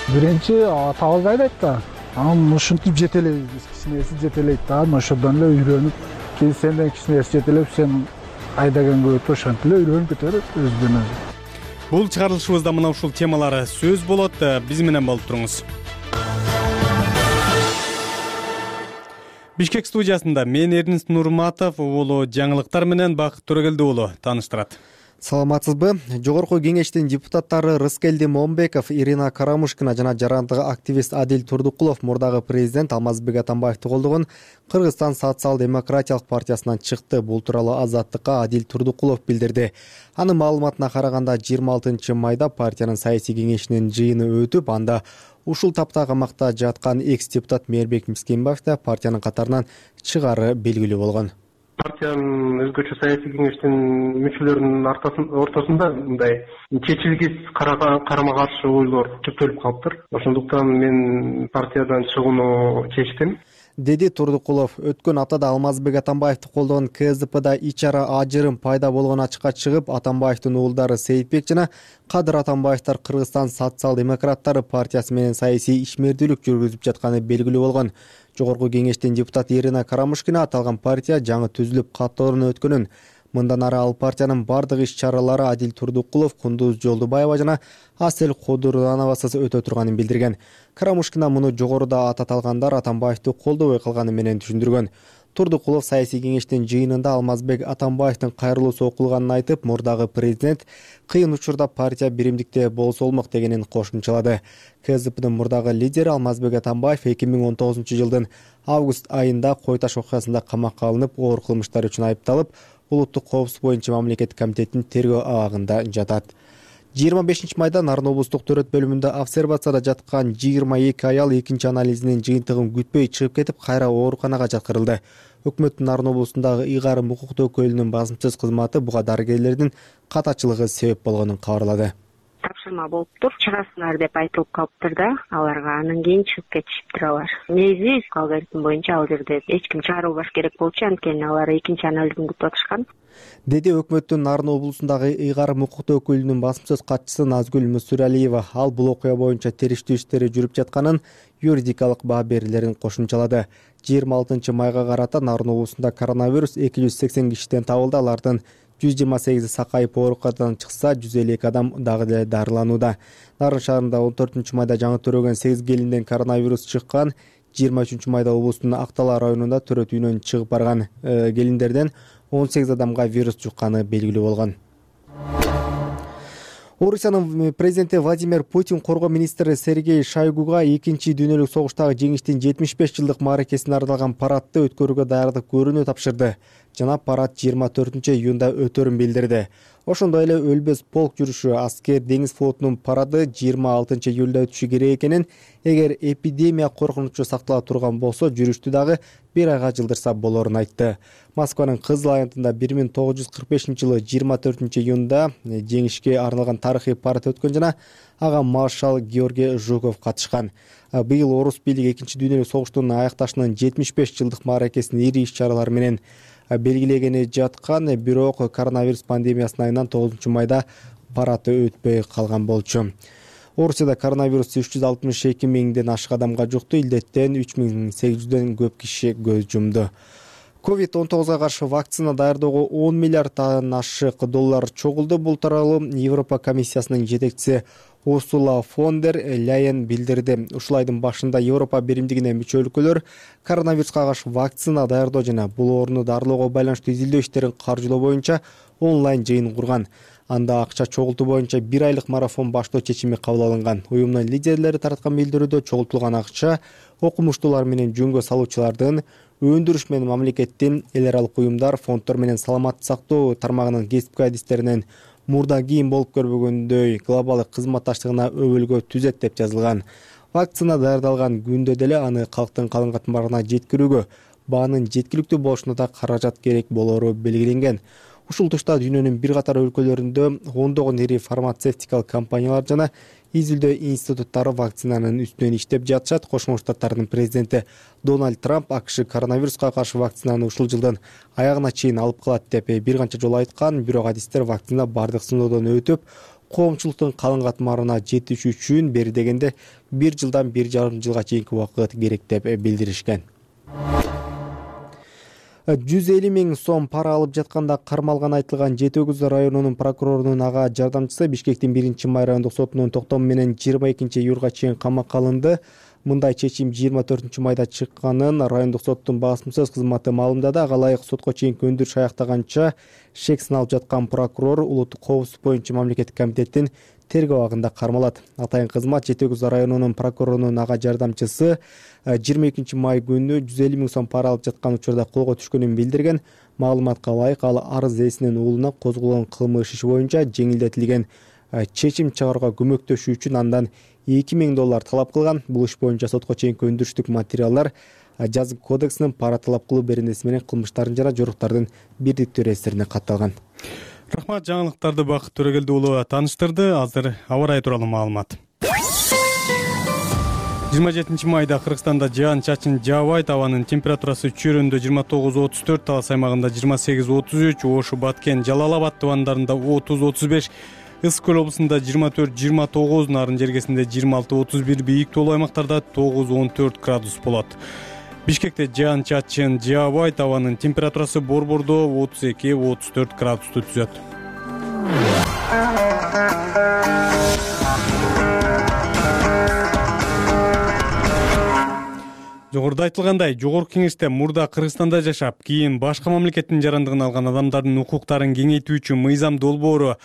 Биринчи атабыз айдайт да, анан ушинтип жетелейбиз, биз кичинеси жетелейт да, анан ошодон эле үйрөнүп, кийин сенден кичинеси жетелеп, сен айдаганга өтүп ошентип эле үйрөнүп кетет өзүнөн өзү. Бул чыгарылышыбызда мына ушул темалары сөз болот, биз менен болуп туруңуз. Бишкек студиясында мен Эрнест Нурматов уулу жаңылыктар менен Бакыт Төрөгелди уулу тааныштырат. Саламатсызбы? Жогорку кеңештин депутаттары Рыскелди Момбеков, Ирина Карамушкина жана жарандык активист Адил Турдукулов мурдагы президент Алмазбек Атамбаевди колдогон Кыргызстан социал-демократиялык партиясынан чыкты. Бул тууралуу Азаттыкка Адил Турдукулов билдирди. Анын маалыматына караганда жыйырма алтынчы майда партиянын саясий кеңешинин жыйыны өтүп, анда ушул тапта камакта жаткан экс-депутат Мээрбек Мискенбаев да партиянын катарынан чыгаары белгилүү болгон. Партиянын өзгөчө саясий кеңештин мүчөлөрүнүн ортосунда мындай чечилгис карама каршы ойлор көптөлүп калыптыр. Ошондуктан мен партиядан чыгууну чечтим, деди Турдукулов. Өткөн аптада Алмазбек Атамбаевди колдогон КСДПда ичара ажырым пайда болгон ачыкка чыгып, Атамбаевдин уулдары Сейитбек жана Кадыр Атамбаевдер Кыргызстан социал-демократтары партиясы менен саясий ишмердүүлүк жүргүзүп жатканы белгилүү болгон. Жогорку кеңештин депутаты Ирина Карамушкина аталган партия жаңы түзүлүп катоорун өткөнүн, мындан ары ал партиянын бардык иш-чаралары Адил Турдукулов, Кундуз Жолдубаева жана Асель Кудурановасыз өтө турганын билдирген. Карамушкина муну жогоруда аталгандар Атамбаевди колдобой калганы менен түшүндүргөн. Турдукулов саясий кеңештин жыйынында Алмазбек Атамбаевдин кайрылуусу окулганын айтып, мурдагы президент кыйын учурда партия биримдикте болсо болмок дегенин кошумчалады. КСДПдын мурдагы лидери Алмазбек Атамбаев эки миң он тогузунчу жылдын август айында Кой Таш окуясында камакка алынып, оор кылмыштар үчүн айыпталып, улуттук коопсуздук боюнча мамлекеттик комитеттин тергөө абагында жатат. жыйырма бешинчи майда Нарын облустук төрөт бөлүмүндө обсервацияда жаткан жыйырма эки аял экинчи анализинин жыйынтыгын күтпөй чыгып кетип, кайра ооруканага жаткырылды. Өкмөттүн Нарын облусундагы ыйгарым укуктуу өкүлүнүн басымсыз кызматы буга дарыгерлердин катачылыгы себеп болгонун кабарлады. Тапшырма болуптур, чыгасыңар деп айтылып калыптыр да, аларга анан кийин чыгып кетишиптир алар. Негизи алгоритм боюнча ал жерде эч ким чыгарылбаш керек болчу, анткени алар экинчи анализин күтүп атышкан. Деди өкмөттүн Нарын облусундагы ыйгарым укуктуу өкүлүнүн басымсыз катчысы Назгүл Мусуралиева. Ал бул окуя боюнча териштүү иштери жүрүп жатканын, юридикалык баа берүүлөрүн кошумчалады. жыйырма алтынчы майга карата Нарын облусунда коронавирус эки жүз сексен кишиден табылды. Алардын жүз жыйырма сегизи сакайып ооруканадан чыкса, жүз элүү эки адам дагы деле дарыланууда. Нарын шаарында он төртүнчү майда жаңы төрөгөн сегиз келинден коронавирус чыккан. жыйырма үчүнчү майда облустун Актала районунда төрөт үйүнөн чыгып барган келиндерден он сегиз адамга вирус жукканы белгилүү болгон. Орусиянын президенти Владимир Путин коргоо министри Сергей Шойгуга экинчи дүйнөлүк согуштагы жеңиштин жетимиш беш жылдык мааракесине арналган парадты өткөрүүгө даярдык көрүүнү тапшырды. Жана парад жыйырма төртүнчү июнда өтөрүн билдирди. Ошондой эле өлбөс полк жүрүшү аскер деңиз флотунун парады жыйырма алтынчы июлда өтүшү керек экенин, эгер эпидемия коркунучу сактала турган болсо жүрүштү дагы бир айга жылдырса болорун айтты. Москванын Кызыл аянтында бир миң тогуз жүз кырк бешинчи жылы жыйырма төртүнчү июнда жеңишке арналган тарыхый парад өткөн жана ага маршал Георгий Жуков катышкан. Быйыл орус бийлиги экинчи дүйнөлүк согуштун аякташынын жетимиш беш жылдык мааракесин ири иш-чаралар менен белгилегени жаткан, бирок коронавирус пандемиясынын айынан тогузунчу майда парад өтпөй калган болчу. Орусияда коронавирус үч жүз алтымыш эки миңден ашык адамга жукту, илдеттен үч миң сегиз жүздөн көп киши көз жумду. ковид он тогузга каршы вакцина даярдоого он миллиарддан ашык доллар чогулду. Бул тууралуу Европа комиссиясынын жетекчиси Урсула фон дер Ляйен билдирди. Ушул айдын башында Европа биримдигине мүчө өлкөлөр коронавируска каршы вакцина даярдоо жана бул ооруну дарылоого байланыштуу изилдөө иштерин каржылоо боюнча онлайн жыйын курган. Анда акча чогултуу боюнча бир айлык марафон баштоо чечими кабыл алынган. Уюмдун лидерлери тараткан билдирүүдө чогултулган акча окумуштуулар менен жөнгө салуучулардын, өндүрүш менен мамлекеттин, эл аралык уюмдар, фонддор менен саламаттык сактоо тармагынын кесипкай адистеринен мурда кийин болуп көрбөгөндөй глобалдык кызматташтыгына өбөлгө түзөт деп жазылган. Вакцина даярдалган күндө деле аны калктын калың катмарына жеткирүүгө баанын жеткиликтүү болушуна да каражат керек болору белгиленген. Ушул тушта дүйнөнүн бир катар өлкөлөрүндө ондогон ири фармацевтикалык компаниялар жана изилдөө институттары вакцинанын үстүнөн иштеп жатышат. Кошмо Штаттардын президенти Дональд Трамп АКШ коронавируска каршы вакцинаны ушул жылдын аягына чейин алып калат деп бир канча жолу айткан, бирок адистер вакцина бардык сыноодон өтүп, коомчулуктун калың катмарына жетиш үчүн бери дегенде бир жылдан бир жарым жылга чейинки убакыт керек деп билдиришкен. жүз элүү миң сом пара алып жатканда кармалган айтылган Жети Өгүз районунун прокурорунун ага жардамчысы Бишкектин биринчи май райондук сотунун токтому менен жыйырма экинчи июлга чейин камакка алынды. Мындай чечим жыйырма төртүнчү майда чыкканын райондук соттун басымсыз кызматы маалымдады. Ага ылайык сотко чейинки өндүрүш аяктаганча шек сыналып жаткан прокурор улуттук коопсуздук боюнча мамлекеттик комитеттин тергөө абагында кармалат. Атайын кызмат Жети Өгүз районунун прокурорунун ага жардамчысы жыйырма экинчи май күнү жүз элүү миң сом пара алып жаткан учурда колго түшкөнүн билдирген. Маалыматка ылайык ал арыз ээсинин уулуна козголгон кылмыш иши боюнча жеңилдетилген чечим чыгарууга көмөктөшүү үчүн андан эки миң доллар талап кылган. Бул иш боюнча сотко чейинки өндүрүштүк материалдар жазык кодексинин пара талап кылуу беренеси менен кылмыштардын жана жоруктардын бирдиктүү реестрине катталган. Рахмат, жаңылыктарды Бакыт Төрөгелди уулу тааныштырды. Азыр аба ырайы тууралуу маалымат. жыйырма жетинчи майда Кыргызстанда жаан чачын жаабайт, абанын температурасы Чүйрөндө жыйырма тогуз отуз төрт, Талас аймагында жыйырма сегиз отуз үч, Ош, Баткен, Жалал Абад тубандарында отуз отуз беш, Ысык көл облусунда жыйырма төрт жыйырма тогуз, Нарын жергесинде жыйырма алты отуз бир, бийик тоолуу аймактарда тогуз он төрт градус болот. Бишкекте жаан чачын жаабайт, абанын температурасы Борбордо отуз эки отуз төрт градусту түзөт. Жогоруда айтылгандай, Жогорку Кеңеште мурда Кыргызстанда жашап, кийин башка мамлекеттин жарандыгын алган адамдардын укуктарын кеңейтүүчү мыйзам долбоору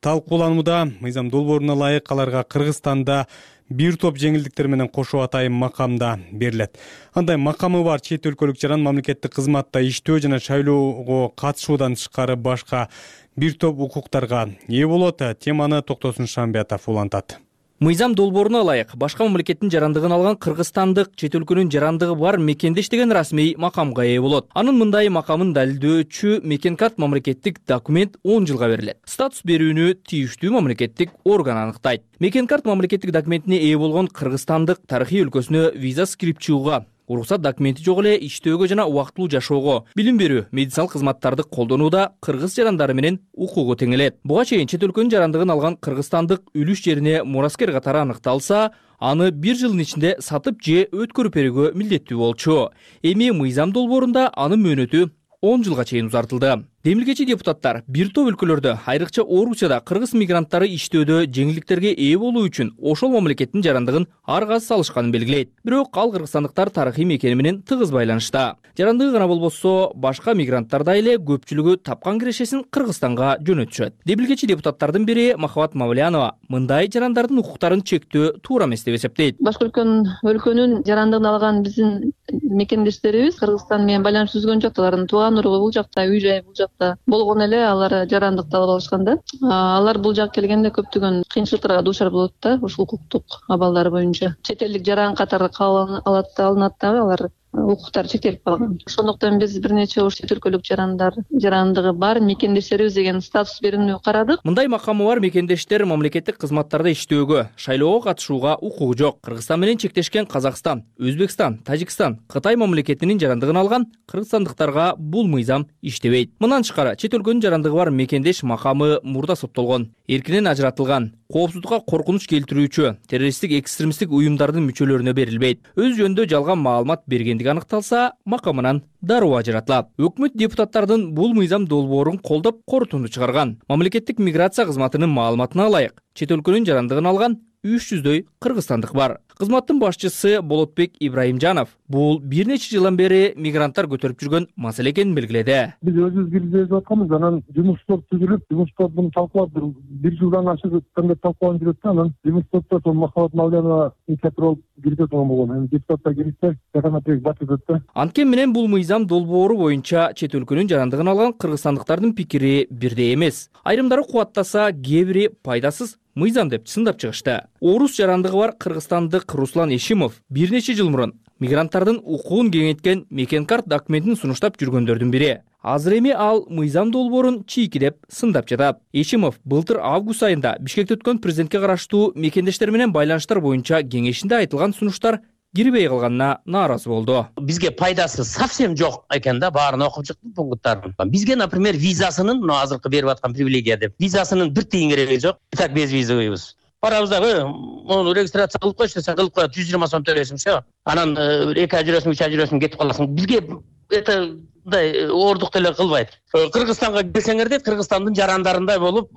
талкууланууда. Мыйзам долбооруна ылайык аларга Кыргызстанда бир топ жеңилдиктер менен кошо атайын макамда берилет. Андай макамы бар чет өлкөлүк жаран мамлекеттик кызматта иштөө жана шайлоого катышуудан тышкары башка бир топ укуктарга ээ болот. Теманы Токтосун Шамбиятов улантат. Мыйзам долбооруна ылайык башка мамлекеттин жарандыгын алган кыргызстандык чет өлкөнүн жарандыгы бар мекенде иштеген расмий макамга ээ болот. Анын мындай макамын далилдөөчү мекен карт мамлекеттик документ он жылга берилет. Статус берүүнү тийиштүү мамлекеттик орган аныктайт. Мекен карт мамлекеттик документине ээ болгон кыргызстандык тарыхый өлкөсүнө виза кирип чыгууга, уруксат документи жок эле иштөөгө жана убактылуу жашоого, билим берүү, медициналык кызматтарды колдонууда кыргыз жарандары менен укугу теңелет. Буга чейин чет өлкөнүн жарандыгын алган кыргызстандык үлүш жерине мураскер катары аныкталса, аны бир жылдын ичинде сатып же өткөрүп берүүгө милдеттүү болчу. Эми мыйзам долбоорунда анын мөөнөтү он жылга чейин узартылды. Демилгечи депутаттар бир топ өлкөлөрдө, айрыкча Орусияда кыргыз мигранттары иштөөдө жеңилдиктерге ээ болуу үчүн ошол мамлекеттин жарандыгын ар каз салышканын белгилейт. Бирок ал кыргызстандыктар тарыхый мекени менен тыгыз байланышта. Жарандыгы гана болбосо, башка мигранттар да эле көпчүлүгү тапкан кирешесин Кыргызстанга жөнөтүшөт. Демилгечи депутаттардын бири Махабат Мавлянова мындай жарандардын укуктарын чектөө туура эмес деп эсептейт. Башка өлкөнүн жарандыгын алган биздин мекендештерибиз Кыргызстан менен байланыш түзгөн жок. Алардын тууган уругу бул жакта, үй жайы бул жакта болгон эле алар жарандыкты алып алышкан да. Алар бул жакка келгенде көптөгөн кыйынчылыктарга дуушар болот да, ушул укуктук абалдары боюнча. Чет элдик жаран катары кабыл алат да, алынат дагы алар укуктары чектелип калган. Ошондуктан биз бир нече ош чет өлкөлүк жарандар жарандыгы бар мекендештерибиз деген статус берүүнү карадык. Мындай макамы бар мекендештер мамлекеттик кызматтарда иштөөгө, шайлоого катышууга укугу жок. Кыргызстан менен чектешкен Казакстан, Өзбекстан, Тажикстан, Кытай мамлекетинин жарандыгын алган кыргызстандыктарга бул мыйзам иштебейт. Мындан тышкары чет өлкөнүн жарандыгы бар мекендеш макамы мурда соттолгон, эркинен ажыратылган, коопсуздукка коркунуч келтирүүчү террористтик экстремисттик уюмдардын мүчөлөрүнө берилбейт. Өз жөнүндө жалган маалымат бергендиги аныкталса, макамынан дароо ажыратылат. Өкмөт депутаттардын бул мыйзам долбоорун колдоп корутунду чыгарган. Мамлекеттик миграция кызматынын маалыматына ылайык, чет өлкөнүн жарандыгын алган үч жүздөй кыргызстандык бар. Кызматтын башчысы Болотбек Ибраимжанов бул бир нече жылдан бери мигранттар көтөрүп жүргөн маселе экенин белгиледи. Биз өзүбүз киргизип атканбыз, анан жумуш топ түзүлүп, жумуш топ муну талкуулап бир жылдан ашык өткөндө талкууланып жүрөт да, анан жумуш топто сол Махабат Мавлянова инициатор болуп киргизе турган болгон. Эми депутаттар киргизсе, жаканатек батырдык да. Анткени менен бул мыйзам долбоору боюнча чет өлкөнүн жарандыгын алган кыргызстандыктардын пикири бирдей эмес. Айрымдары кубаттаса, кээ бири пайдасыз мыйзам деп сындап чыгышты. Орус жарандыгы бар кыргызстандык Руслан Эшимов бир нече жыл мурун мигранттардын укугун кеңейткен мекенкарт документин сунуштап жүргөндөрдүн бири. Азыр эми ал мыйзам долбоорун чийки деп сындап жатат. Эшимов былтыр август айында Бишкекте өткөн президентке караштуу мекендештер менен байланыштар боюнча кеңешинде айтылган сунуштар кирбей калганына нааразы болду. Бизге пайдасы совсем жок экен да, баарын окуп чыктым пункттарын. Бизге, например, визасынын, мына азыркы берип аткан привилегия деп, визасынын бир тиын кереги жок. Так без визовыйбыз. Барабызда, мону регистрация кылып койчу десең, кылып коет, жүз жыйырма сом төлөйсүң, все. Анан эки ай жүрөсүң, үч ай жүрөсүң, кетип каласың. Бизге это мындай ордук деле кылбайт. Кыргызстанга келсеңер дейт, Кыргызстандын жарандарындай болуп,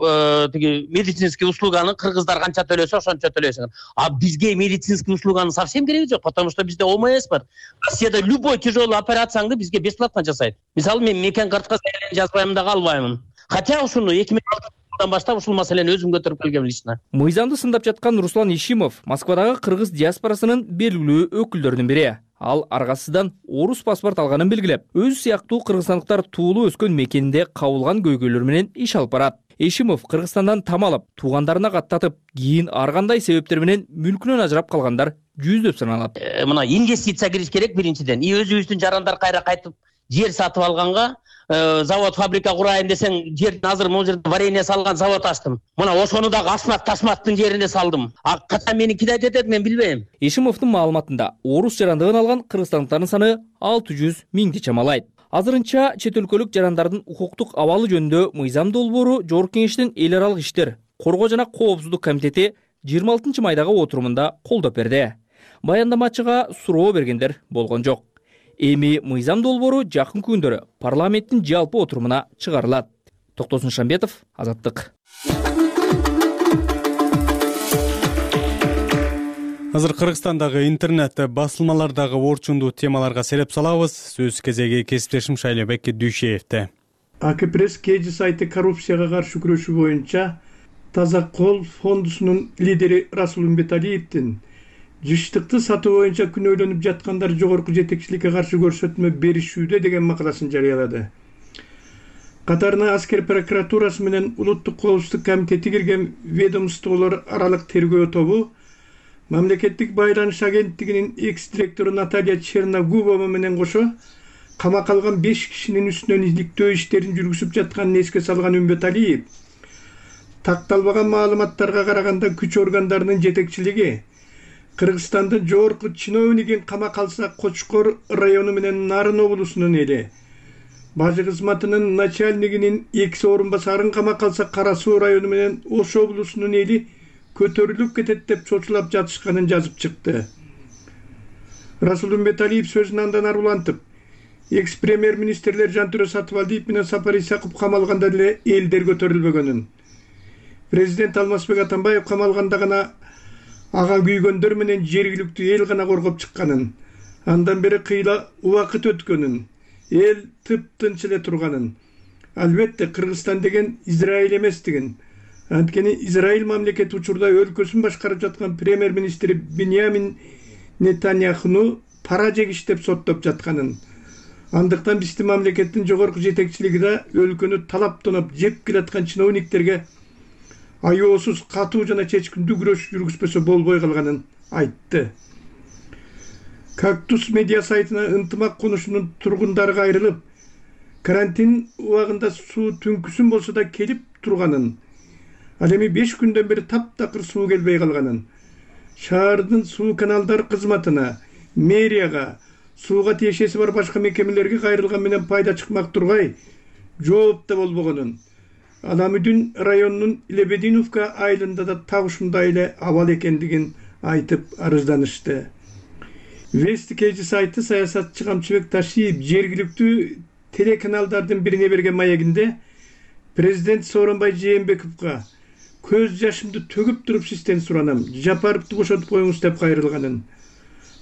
тиги медицинский услуганы кыргыздар канча төлөсө, ошончо төлөйсүңөр. А бизге медицинский услуганы совсем кереги жок, потому что бизде ОМС бар. Россияда любой тяжелый операцияңды бизге бесплатно жасайт. Мисалы, мен мекен картка жазбайм да калбаймын. Хотя ушуну эки миң алтынчы баштап ушул маселени өзүм көтөрүп келгем лично. Мыйзамды сындап жаткан Руслан Ишимов Москвадагы кыргыз диаспорасынын белгилүү өкүлдөрүнүн бири. Ал аргасыздан орус паспорт алганын белгилеп, өзү сыяктуу кыргызстандыктар туулуу өскөн мекенинде кабылган көйгөйлөр менен иш алып барат. Эшимов Кыргызстандан там алып, туугандарына каттатып, кийин ар кандай себептер менен мүлкүнөн ажырап калгандар жүздөп саналат. Мына инвестиция кириш керек биринчиден. И өзүбүздүн жарандар кайра кайтып жер сатып алганга, завод, фабрика курайын десең, жердин азыр могу жерде варенье салган завод ачтым. Мына ошону дагы Асмат Ташматтын жеринде салдым. А ката мени кидайт этет, мен билбейм. Эшимовдун маалыматында орус жарандыгын алган кыргызстандыктардын саны алты жүз миңди чамалайт. Азырынча чет өлкөлүк жарандардын укуктук абалы жөнүндө мыйзам долбоору Жогорку Кеңештин эл аралык иштер, коргоо жана коопсуздук комитети жыйырма алтынчы майдагы отурумунда колдоп берди. Баяндамачыга суроо бергендер болгон жок. Эми мыйзам долбоору жакын күндөрү парламенттин жалпы отурумуна чыгарылат. Токтосун Шамбетов, Азаттык. Азыр Кыргызстандагы интернет басылмалардагы орчундуу темаларга сереп салабыз. Сөз кезеги кесиптешим Шайлебек Дүйшеевде. А К пресс Кеди сайты коррупцияга каршы күрөшүү боюнча Таза кол фондусунун лидери Расул Умбеталиевдин жыштыкты сатуу боюнча күнөөлөнүп жаткандар жогорку жетекчиликке каршы көрсөтмө беришүүдө деген макаласын жарыялады. Катарына аскер прокуратурасы менен улуттук коопсуздук комитети кирген ведомстволор аралык тергөө тобу мамлекеттик байланыш агенттигинин экс-директору Наталья Черногубова менен кошо камакка алган беш кишинин үстүнөн иликтөө иштерин жүргүзүп жатканын эске салган Умбеталиев такталбаган маалыматтарга караганда күч органдарынын жетекчилиги Кыргызстандын жогорку чиновнигин камакка алса Кочкор району менен Нарын облусунун эли, бажы кызматынын начальнигинин экс орун басарын камакка алса Кара Суу району менен Ош облусунун эли көтөрүлүп кетет деп чочулап жатышканын жазып чыкты. Расул Умбеталиев сөзүн андан ары улантып, экс премьер министрлер Жантүрө Сатыбалдиев менен Сапар Исаков камалганда деле элдер көтөрүлбөгөнүн, президент Алмазбек Атамбаев камалганда гана ага күйгөндөр менен жергиликтүү эл гана коргоп чыкканын, андан бери кыйла убакыт өткөнүн, эл тыптынч эле турганын. Албетте Кыргызстан деген Израиль эместигин, анткени Израиль мамлекети учурда өлкөсүн башкарып жаткан премьер министри Биньямин Нетаньяхуну пара жегиш деп соттоп жатканын, андыктан биздин мамлекеттин жогорку жетекчилиги да өлкөнү талаптанып жеп келаткан чиновниктерге аеосуз катуу жана чечкиндүү күрөш жүргүзбөсө болбой калганын айтты. Кактус медиа сайтына ынтымак конушунун тургундары кайрылып, карантин убагында суу түнкүсүн болсо да келип турганын, ал эми беш күндөн бери таптакыр суу келбей калганын, шаардын суу каналдар кызматына, мэрияга, сууга тиешеси бар башка мекемелерге кайрылган менен пайда чыкмак тургай жооп да болбогонун, Аламүдүн районунун Лебединовка айылында да так ушундай эле абал экендигин айтып арызданышты. Вести Кж сайты саясатчы Камчыбек Ташиев жергиликтүү телеканалдардын бирине берген маегинде президент Сооронбай Жээнбековго көз жашымды төгүп туруп сизден суранам, Жапаровду бошотуп коюңуз деп кайрылганын,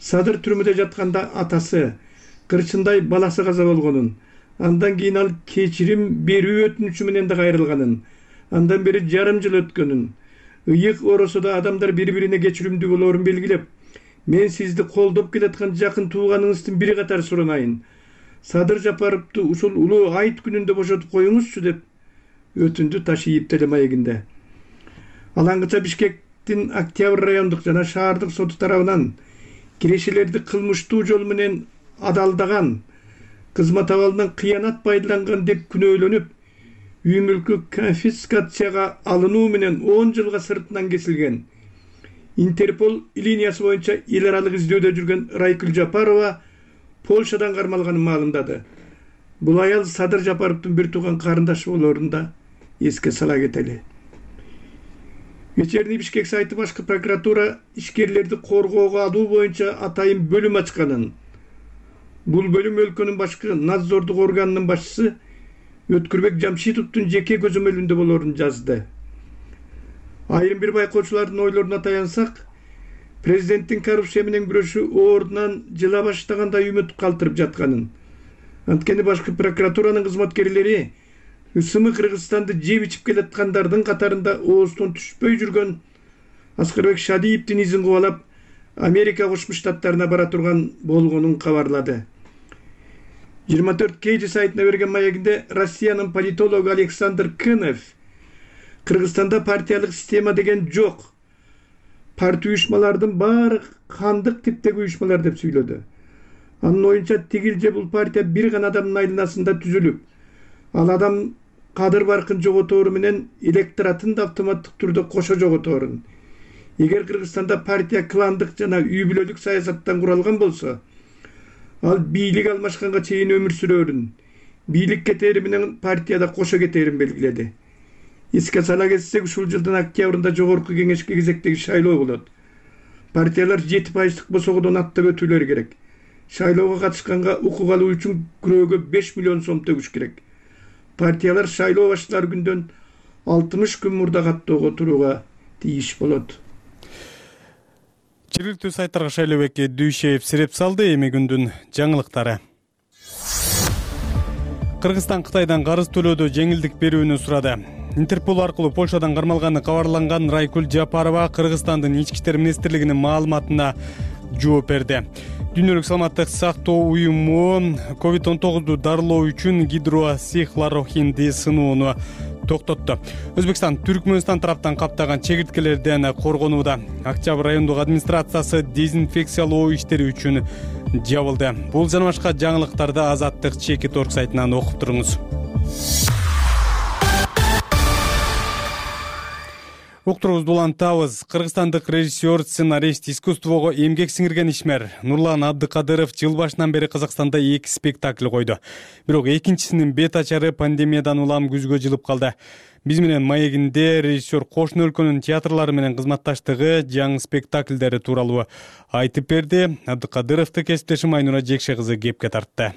Садыр түрмөдө жатканда атасы, кырчындай баласы каза болгонун, андан кийин ал кечирим берүү өтүнүчү менен да кайрылганын, андан бери жарым жыл өткөнүн, ыйык оросодо адамдар бири-бирине кечиримдүү болоорун белгилеп, мен сизди колдоп келаткан жакын тууганыңыздын бири катары суранайын, Садыр Жапаровду ушул улуу айт күнүндө бошотуп коюңузчу деп өтүндү Ташиев телемаегинде. Алаңгыча Бишкектин Октябрь райондук жана шаардык соту тарабынан кирешелерди кылмыштуу жол менен адалдаган, кызмат абалынан кыянат пайдаланган деп күнөөлөнүп, үй мүлкү конфискацияга алынуу менен он жылга сыртынан кесилген, Интерпол линиясы боюнча эл аралык издөөдө жүргөн Райкүл Жапарова Польшадан кармалганын маалымдады. Бул аял Садыр Жапаровдун бир тууган карындашы болоорун да эске сала кетели. Вечерний Бишкек сайты башкы прокуратура ишкерлерди коргоого алуу боюнча атайын бөлүм ачканын, бул бөлүм өлкөнүн башкы надзордук органынын башчысы Өткүрбек Жамшитовдун жеке көзөмөлүндө болоорун жазды. Айрым бир байкоочулардын ойлоруна таянсак, президенттин коррупция менен күрөшү ордунан жыла баштагандай үмүт калтырып жатканын, анткени башкы прокуратуранын кызматкерлери ысымы Кыргызстанды жеп ичип келаткандардын катарында ооздон түшпөй жүргөн Аскарбек Шадиевдин изин кубалап Америка Кошмо Штаттарына бара турган болгонун кабарлады. жыйырма төрт Кж сайтына берген маегинде Россиянын политологу Александр Кынов Кыргызстанда партиялык система деген жок, партия уюшмалардын баары кандык типтеги уюшмалар деп сүйлөдү. Анын оюнча тигил же бул партия бир гана адамдын айланасында түзүлүп, ал адам кадыр баркын жоготору менен электоратын да автоматтык түрдө кошо жоготорун. Эгер Кыргызстанда партия кландык жана үй бүлөлүк саясаттан куралган болсо, ал бийлик алмашканга чейин өмүр сүрөрүн, бийлик кетери менен партияда кошо кетерин белгиледи. Эске сала кетсек, ушул жылдын октябрында жогорку кеңешке кезектеги шайлоо болот. Партиялар жети пайыздык босогодон аттап өтүүлөрү керек. Шайлоого катышканга укук алуу үчүн күрөөгө беш миллион сом төгүш керек. Партиялар шайлоо башталар күндөн алтымыш күн мурда каттоого турууга тийиш болот. Жергиликтүү сайттарга Шайлообек Дүйшеев сиреп салды. Эми күндүн жаңылыктары. Кыргызстан Кытайдан карыз төлөөдө жеңилдик берүүнү сурады. Интерпол аркылуу Польшадан кармалганы кабарланган Райкүл Жапарова Кыргызстандын ички иштер министрлигинин маалыматына жооп берди. Дүйнөлүк саламаттык сактоо уюму ковид он тогузду дарылоо үчүн гидроксихлорохинди сынууну токтотту. Өзбекстан Түркмөнстан тараптан каптаган чегирткелерден коргонууда. Октябрь райондук администрациясы дезинфекциялоо иштери үчүн жабылды. Бул жана башка жаңылыктарды Азаттык чекит орг сайтынан окуп туруңуз. Уктуруңузду улантабыз. Кыргызстандык режиссер, сценарист, искусствого эмгек сиңирген ишмер Нурлан Абдыкадыров жыл башынан бери Казакстанда эки спектакль койду. Бирок экинчисинин бет ачары пандемиядан улам күзгө жылып калды. Биз менен маегинде режиссер кошуна өлкөнүн театрлары менен кызматташтыгы, жаңы спектакльдери тууралуу айтып берди. Абдыкадыровду кесиптешим Айнура Жекше кызы кепке тартты.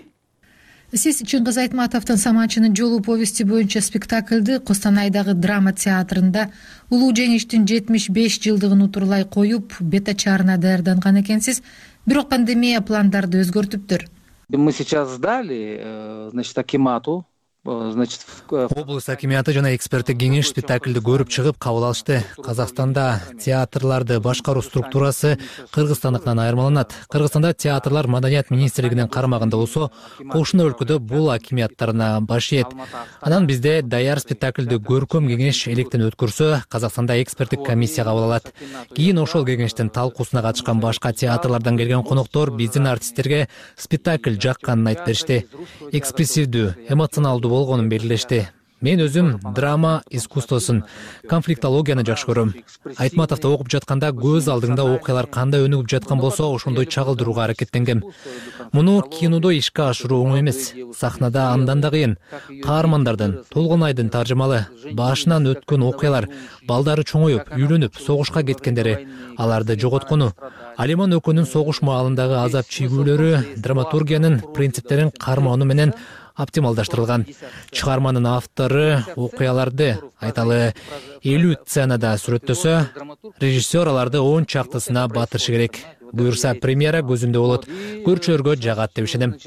Сиз Чыңгыз Айтматовдун Саманчынын жолу повести боюнча спектакльди Костанайдагы драма театрында улуу жеңиштин жетимиш беш жылдыгын утурлай коюп, бетачарына даярданган экенсиз. Бирок пандемия пландарды өзгөртүптүр. Мы сейчас сдали, значит, акимату. Значит, облус акиматы жана эксперттик кеңеш спектакльди көрүп чыгып кабыл алышты. Казакстанда театрларды башкаруу структурасы Кыргызстандыкынан айырмаланат. Кыргызстанда театрлар маданият министрлигинин карамагында болсо, кошуна өлкөдө бул акимияттарына баш ийет. Анан бизде даяр спектакльди көркөм кеңеш электен өткөрсө, Казакстанда эксперттик комиссия кабыл алат. Кийин ошол кеңештин талкуусуна катышкан башка театрлардан келген коноктор биздин артисттерге спектакль жакканын айтып беришти. Экспрессивдүү, эмоционалдуу болгонун белгилешти. Мен өзүм драма искусствосун, конфликтологияны жакшы көрөм. Айтматовду окуп жатканда көз алдыңда окуялар кандай өнүгүп жаткан болсо, ошондой чагылдырууга аракеттенгем. Муну кинодо ишке ашыруу оңой эмес. Сахнада андан да кыйын. Каармандардын, Толгонайдын таржымалы, башынан өткөн окуялар, балдары чоңоюп, үйлөнүп, согушка кеткендери, аларды жоготкону, Алиман Өкөнүн согуш маалындагы азап чегүүлөрү драматургиянын принциптерин кармоону менен оптималдаштырылган. Чыгарманын автору окуяларды айталы элүү сценада сүрөттөсө, режиссер аларды он чактысына батырышы керек. Буюрса, премьера көзүндө болот. Көрүүчүлөргө жагат деп ишенем.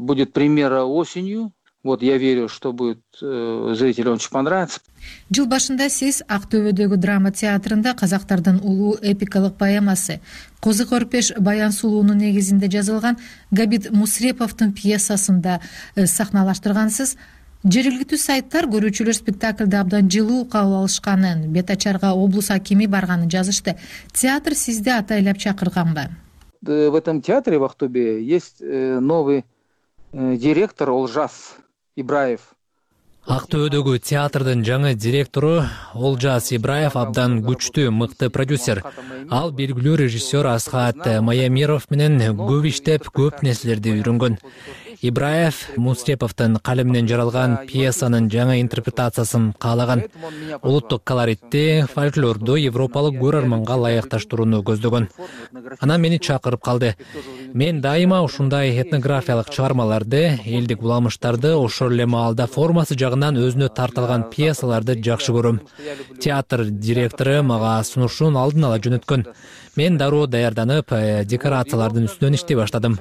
Будет премьера осенью. Вот я верю, что будет зрителям очень понравится. Жыл башында сиз Актөбөдөгү драма театрында казактардын улуу эпикалык поэмасы Козы Көрпеш Баян Сулуунун негизинде жазылган Габит Мусреповдун пьесасында сахналаштыргансыз. Жергиликтүү сайттар көрүүчүлөр спектакльди абдан жылуу кабыл алышканын, бетачарга облус акими барганын жазышты. Театр сизди атайлап чакырганбы? В этом театре в Актобе есть новый директор Олжас Ибраев. Актөбөдөгү театрдын жаңы директору Олжас Ибраев абдан күчтүү, мыкты продюсер. Ал белгилүү режиссер Асхат Маямиров менен көп иштеп, көп нерселерди үйрөнгөн. Ибраев Мусреповдун калеминен жаралган пьесанын жаңы интерпретациясын каалаган. Улуттук колоритти, фольклорду европалык көрөрманга ылайыкташтырууну көздөгөн. Анан мени чакырып калды. Мен дайыма ушундай этнографиялык чыгармаларды, элдик уламыштарды, ошол эле маалда формасы жагынан өзүнө тартылган пьесаларды жакшы көрөм. Театр директору мага сунушун алдын ала жөнөткөн. Мен дароо даярданып, декорациялардын үстүнөн иштей баштадым.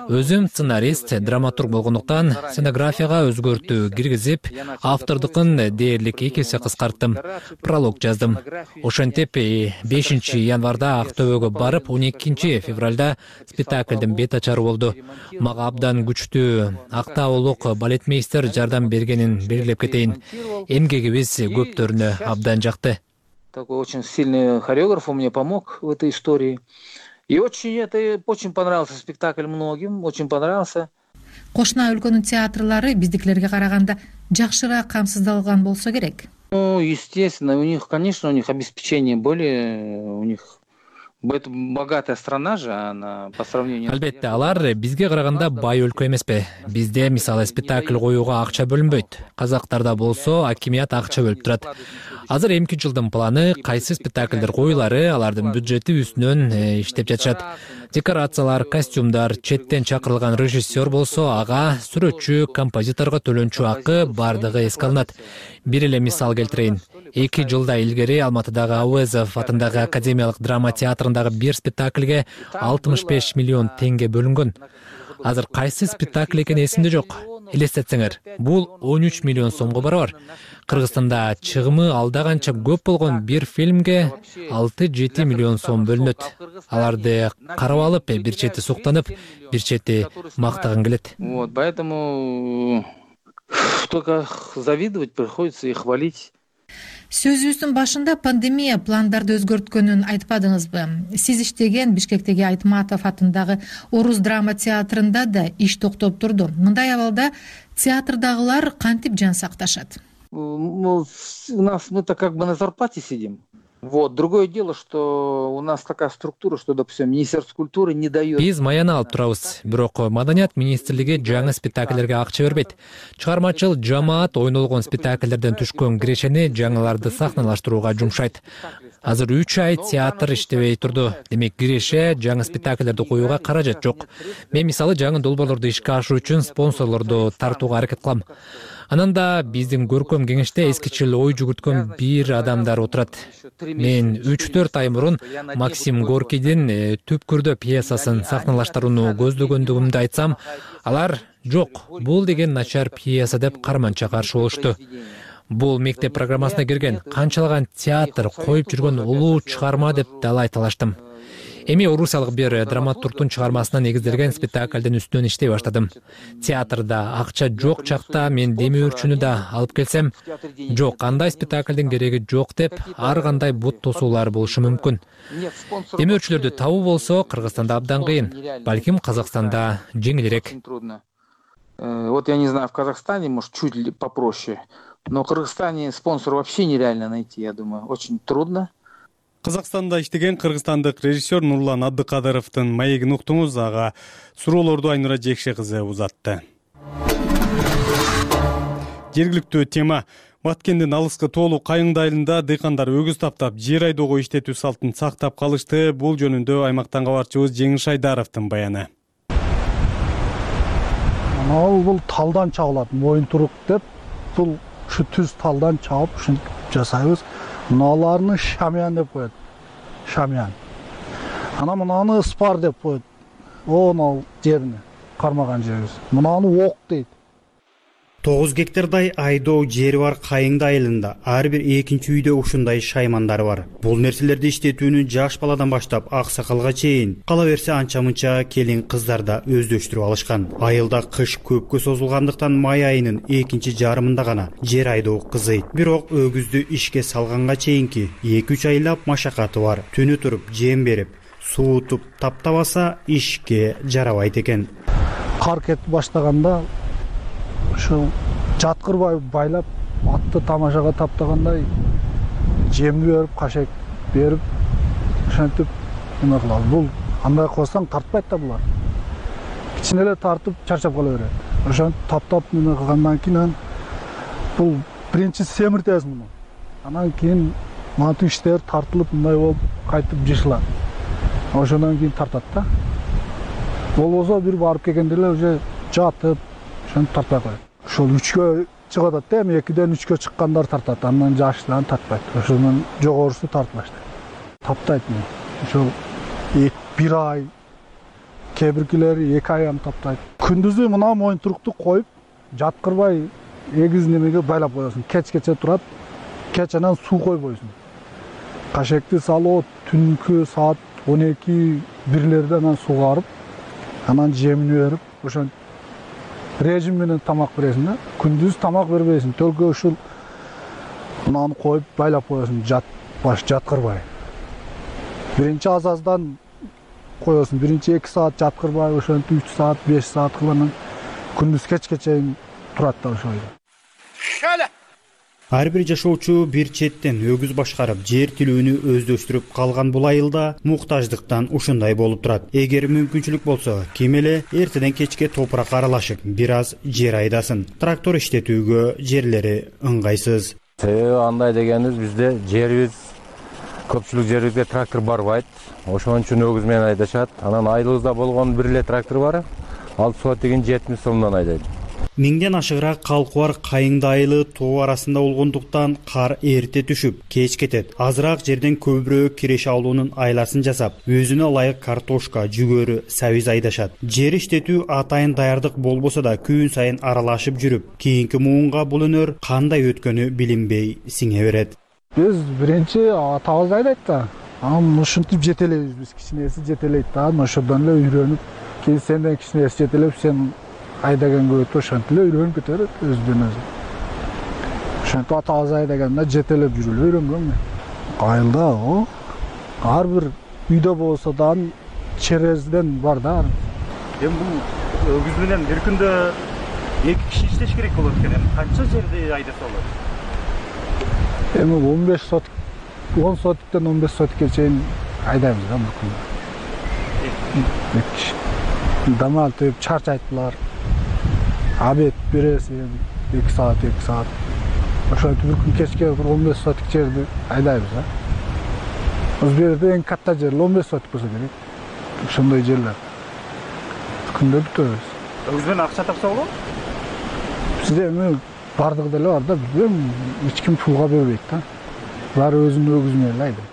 Өзүм сценарист, драматург болгондуктан сценографияга өзгөртүү киргизип, автордукун дээрлик эки эсе кыскарттым. Пролог жаздым. Ошентип бешинчи январда Актөбөгө барып, он экинчи февралда спектакльдин бет ачары болду. Мага абдан күчтүү актаулук балетмейстер жардам бергенин белгилеп кетейин. Эмгегибиз көптөрүнө абдан жакты. Такой очень сильный хореограф мне помог в этой истории. И очень это очень понравился спектакль многим, очень понравился. Кошуна өлкөнүн театрлары биздикилерге караганда жакшыраак камсыздалган болсо керек. Ну, естественно, у них, конечно, у них обеспечение более, у них это богатая страна же, она по сравнению. Албетте, алар бизге караганда бай өлкө эмеспи. Бизде мисалы спектакль коюуга акча бөлүнбөйт. Казактарда болсо акимият акча бөлүп турат. Азыр эмки жылдын планы кайсы спектакльдер коюлары, алардын бюджети үстүнөн иштеп жатышат. Декорациялар, костюмдар, четтен чакырылган режиссер болсо, ага сүрөтчү, композиторго төлөнчү акы бардыгы эске алынат. Бир эле мисал келтирейин. Эки жылда илгери Алматыдагы Ауезов атындагы академиялык драма театрындагы бир спектакльге алтымыш беш миллион теңге бөлүнгөн. Азыр кайсы спектакль экени эсимде жок. Элестетсеңер, бул он үч миллион сомго барабар. Кыргызстанда чыгымы алда канча көп болгон бир фильмге алты жети миллион сом бөлүнөт. Аларды карап алып, бир чети суктанып, бир чети мактаган келет. Вот, поэтому только завидовать приходится и хвалить. Сөзүбүздүн башында пандемия пландарды өзгөрткөнүн айтпадыңызбы? Сиз иштеген Бишкектеги Айтматов атындагы Орус драма театрында да иш токтоп турду. Мындай абалда театрдагылар кантип жан сакташат? У нас мы-то как бы на зарплате сидим. Вот. Другое дело, что у нас такая структура, что, допустим, Министерство культуры не дает. Биз маяны алып турабыз. Бирок Маданият министрлиги жаңы спектакльлерге акча бербейт. Чыгармачыл жамаат ойнолгон спектакльлерден түшкөн кирешени жаңыларды сахналаштырууга жумшайт. Азыр үч ай театр иштебей турду. Демек киреше жаңы спектакльдерди коюуга каражат жок. Мен мисалы жаңы долбоорлорду ишке ашыруу үчүн спонсорлорду тартууга аракет кылам. Анан да биздин көркөм кеңеште эскичил ой жүгүрткөн бир адамдар отурат. Мен үч төрт ай мурун Максим Горкийдин Түпкүрдө пьесасын сахналаштырууну көздөгөндүгүмдү айтсам, алар жок, бул деген начар пьеса деп карманча каршы болушту. Бул мектеп программасына кирген, канчалаган театр коюп жүргөн улуу чыгарма деп далай талаштым. Эми орусиялык бир драматургдун чыгармасына негизделген спектакльдин үстүнөн иштей баштадым. Театрда акча жок чакта мен демөөрчүнү да алып келсем, жок, андай спектакльдин кереги жок деп ар кандай бут тосуулар болушу мүмкүн. Демөөрчүлөрдү табуу болсо Кыргызстанда абдан кыйын, балким Казакстанда жеңилирээк. Вот я не знаю, в Казахстане, может, чуть ли попроще, но в Кыргызстане спонсор вообще нереально найти, я думаю, очень трудно. Казакстанда иштеген кыргызстандык режиссер Нурлан Абдыкадыровдун маегин уктуңуз, ага суроолорду Айнура Жекше кызы узатты. Жергиликтүү тема. Баткендин алыскы тоолуу Кайыңды айылында дыйкандар өгүз таптап, жер айдоого иштетүү салтын сактап калышты. Бул жөнүндө аймактан кабарчыбыз Жеңиш Айдаровдун баяны. Ал бул талдан чабылат, моюнтурук деп, бул ушу түз талдан чабып ушинтип жасайбыз. Мыналарны шамян деп коет. Шамян. Ана мынаны спар деп коет. Ол жерини кармаган жерибиз. Мынаны ок дейт. тогуз гектардай айдоо жери бар Кайыңды айылында ар бир экинчи үйдө ушундай шаймандар бар. Бул нерселерди иштетүүнү жаш баладан баштап аксакалга чейин, кала берсе анча-мынча келин кыздар да өздөштүрүп алышкан. Айылда кыш көпкө созулгандыктан май айынын экинчи жарымында гана жер айдоо кызыйт. Бирок өгүздү ишке салганга чейинки эки үч айлап машакаты бар. Түнү туруп жем берип, суутуп таптабаса ишке жарабайт экен. Кар кетип баштаганда ушул жаткырбай байлап, атты тамашага таптагандай жемди берип, кашек берип, ошентип эме кылабыз. Бул андай кылсаң тартпайт да булар. Кичине эле тартып чарчап кала берет. Ошентип таптап эме кылгандан кийин бул биринчи семиртесиң муну. Анан кийин манту иштер тартылып мындай болуп кайтып жышылат. Ошондон кийин тартат да. Болбосо бир барып келгенде эле уже жатып тартпай коет. Ошол үчкө чыгып атат да, эми экиден үчкө чыккандар тартат, андан жаштан тартпайт. Ошондон жогорусу тартып баштайт. Таптайт мени. Ошол бир ай, кээ биркилери эки ай ам таптайт. Күндүзү мына моюнтурукту коюп, жаткырбай эгиз немеге байлап коесуң. Кечкече турат, кеченен суу койбойсуң. Кашекти салып, түнкү саат он эки бирлерде анан сууга барып, анан жемин берип, ошон режим менен тамак бересиң да. Күндүз тамак бербейсиң, төлкө ушул мынаны коюп байлап коесуң, жат баш жаткырбай. Биринчи азаздан коесуң, биринчи эки саат жаткырбай, ошентип үч саат, беш саат кылып, күндүз кечке чейин турат да ошол. Ар бир жашоочу бир четтен өгүз башкарып, жер тилүүнү өздөштүрүп калган бул айылда муктаждыктан ушундай болуп турат. Эгер мүмкүнчүлүк болсо, ким эле эртеден кечке топуракка аралашып, бир аз жер айдасын. Трактор иштетүүгө жерлери ыңгайсыз. Себеби андай дегенибиз бизде жерибиз көпчүлүк жерибизге трактор барбайт. Ошон үчүн өгүз менен айдашат. Анан айылыбызда болгон бир эле трактор бар. Ал сотигин жетимиш сомдон айдайт. Миңден ашыгыраак калкы бар Кайыңды айылы тоо арасында болгондуктан кар эрте түшүп, кеч кетет. Азыраак жерден көбүрөөк киреше алуунун айласын жасап, өзүнө ылайык картошка, жүгөрү, сабиз айдашат. Жер иштетүү атайын даярдык болбосо да күн сайын аралашып жүрүп, кийинки муунга бул өнөр кандай өткөнү билинбей сиңе берет. Биз биринчи атабыз айдайт да. Анан ушинтип жетелейбиз, биз кичинеси жетелейт да, ошондон эле үйрөнүп, кийин сенден кичинеси жетелеп, сен айдагенге өтүп ошентип эле үйрөнүп кетет өзүдөн өзү. Ошентип атабыз айдаганда жетелеп жүрүп үйрөнгөн мен. Айылда о ар бир үйдө болсо да черезден бар да. Эми бул өгүз менен бир күндө эки киши иштеш керек болот экен. Эми канча жерди айдаса болот? Эми он беш сотик, он сотиктен он беш сотикке чейин айдайбыз да бир күндө. Эки киши. Дамал теп чарчайт булар. Абет бересиң эки саат, эки саат. Ошентип бир күн кечке бир он беш сотик жерди айдайбыз да. Өзбекте эң катта жер он беш сотик болсо керек. Ошондой жерлер. Күндө бүтөбүз. Өгүз менен акча тапса болобу? Бизде эми бардыгы деле бар да, билбейм, эч ким пулга бербейт да. Баары өзүнүн өгүзү менен айдайт.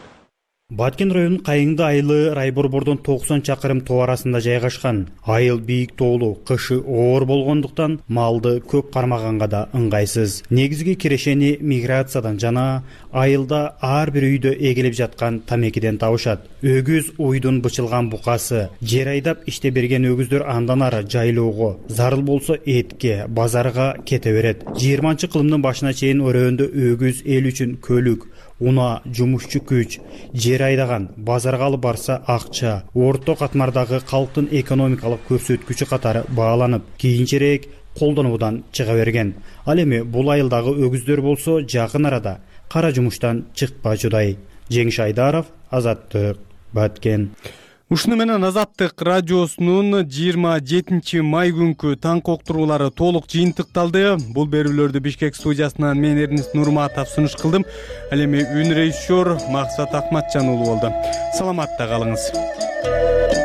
Баткен районунун Кайыңды айылы Райборбордон токсон чакырым тоо арасында жайгашкан. Айыл бийик тоолуу, кышы оор болгондуктан малды көп кармаганга да ыңгайсыз. Негизги кирешени миграциядан жана айылда ар бир үйдө эгилип жаткан тамекиден табышат. Өгүз уйдун бычылган букасы, жер айдап иште берген өгүздөр андан ары жайлоого, зарыл болсо этке, базарга кете берет. жыйырманчы кылымдын башына чейин өрөөндө өгүз эл үчүн көлүк, уна, жумушчу күч, жер айдаган, базарга алып барса акча, орто катмардагы калктын экономикалык көрсөткүчү катары бааланып, кийинчерээк колдонуудан чыга берген. Ал эми бул айылдагы өгүздөр болсо жакын арада кара жумуштан чыкпачудай. Жеңиш Айдаров, Азаттык, Баткен. Ушуну менен Азаттык радиосунун жыйырма жетинчи май күнкү таң коктуруулары толук жыйынтыкталды. Бул берүүлөрдү Бишкек студиясынан мен Эрнис Нурматов сунуш кылдым. Ал эми үн режиссер Максат Акматжан уулу болду. Саламатта калыңыз.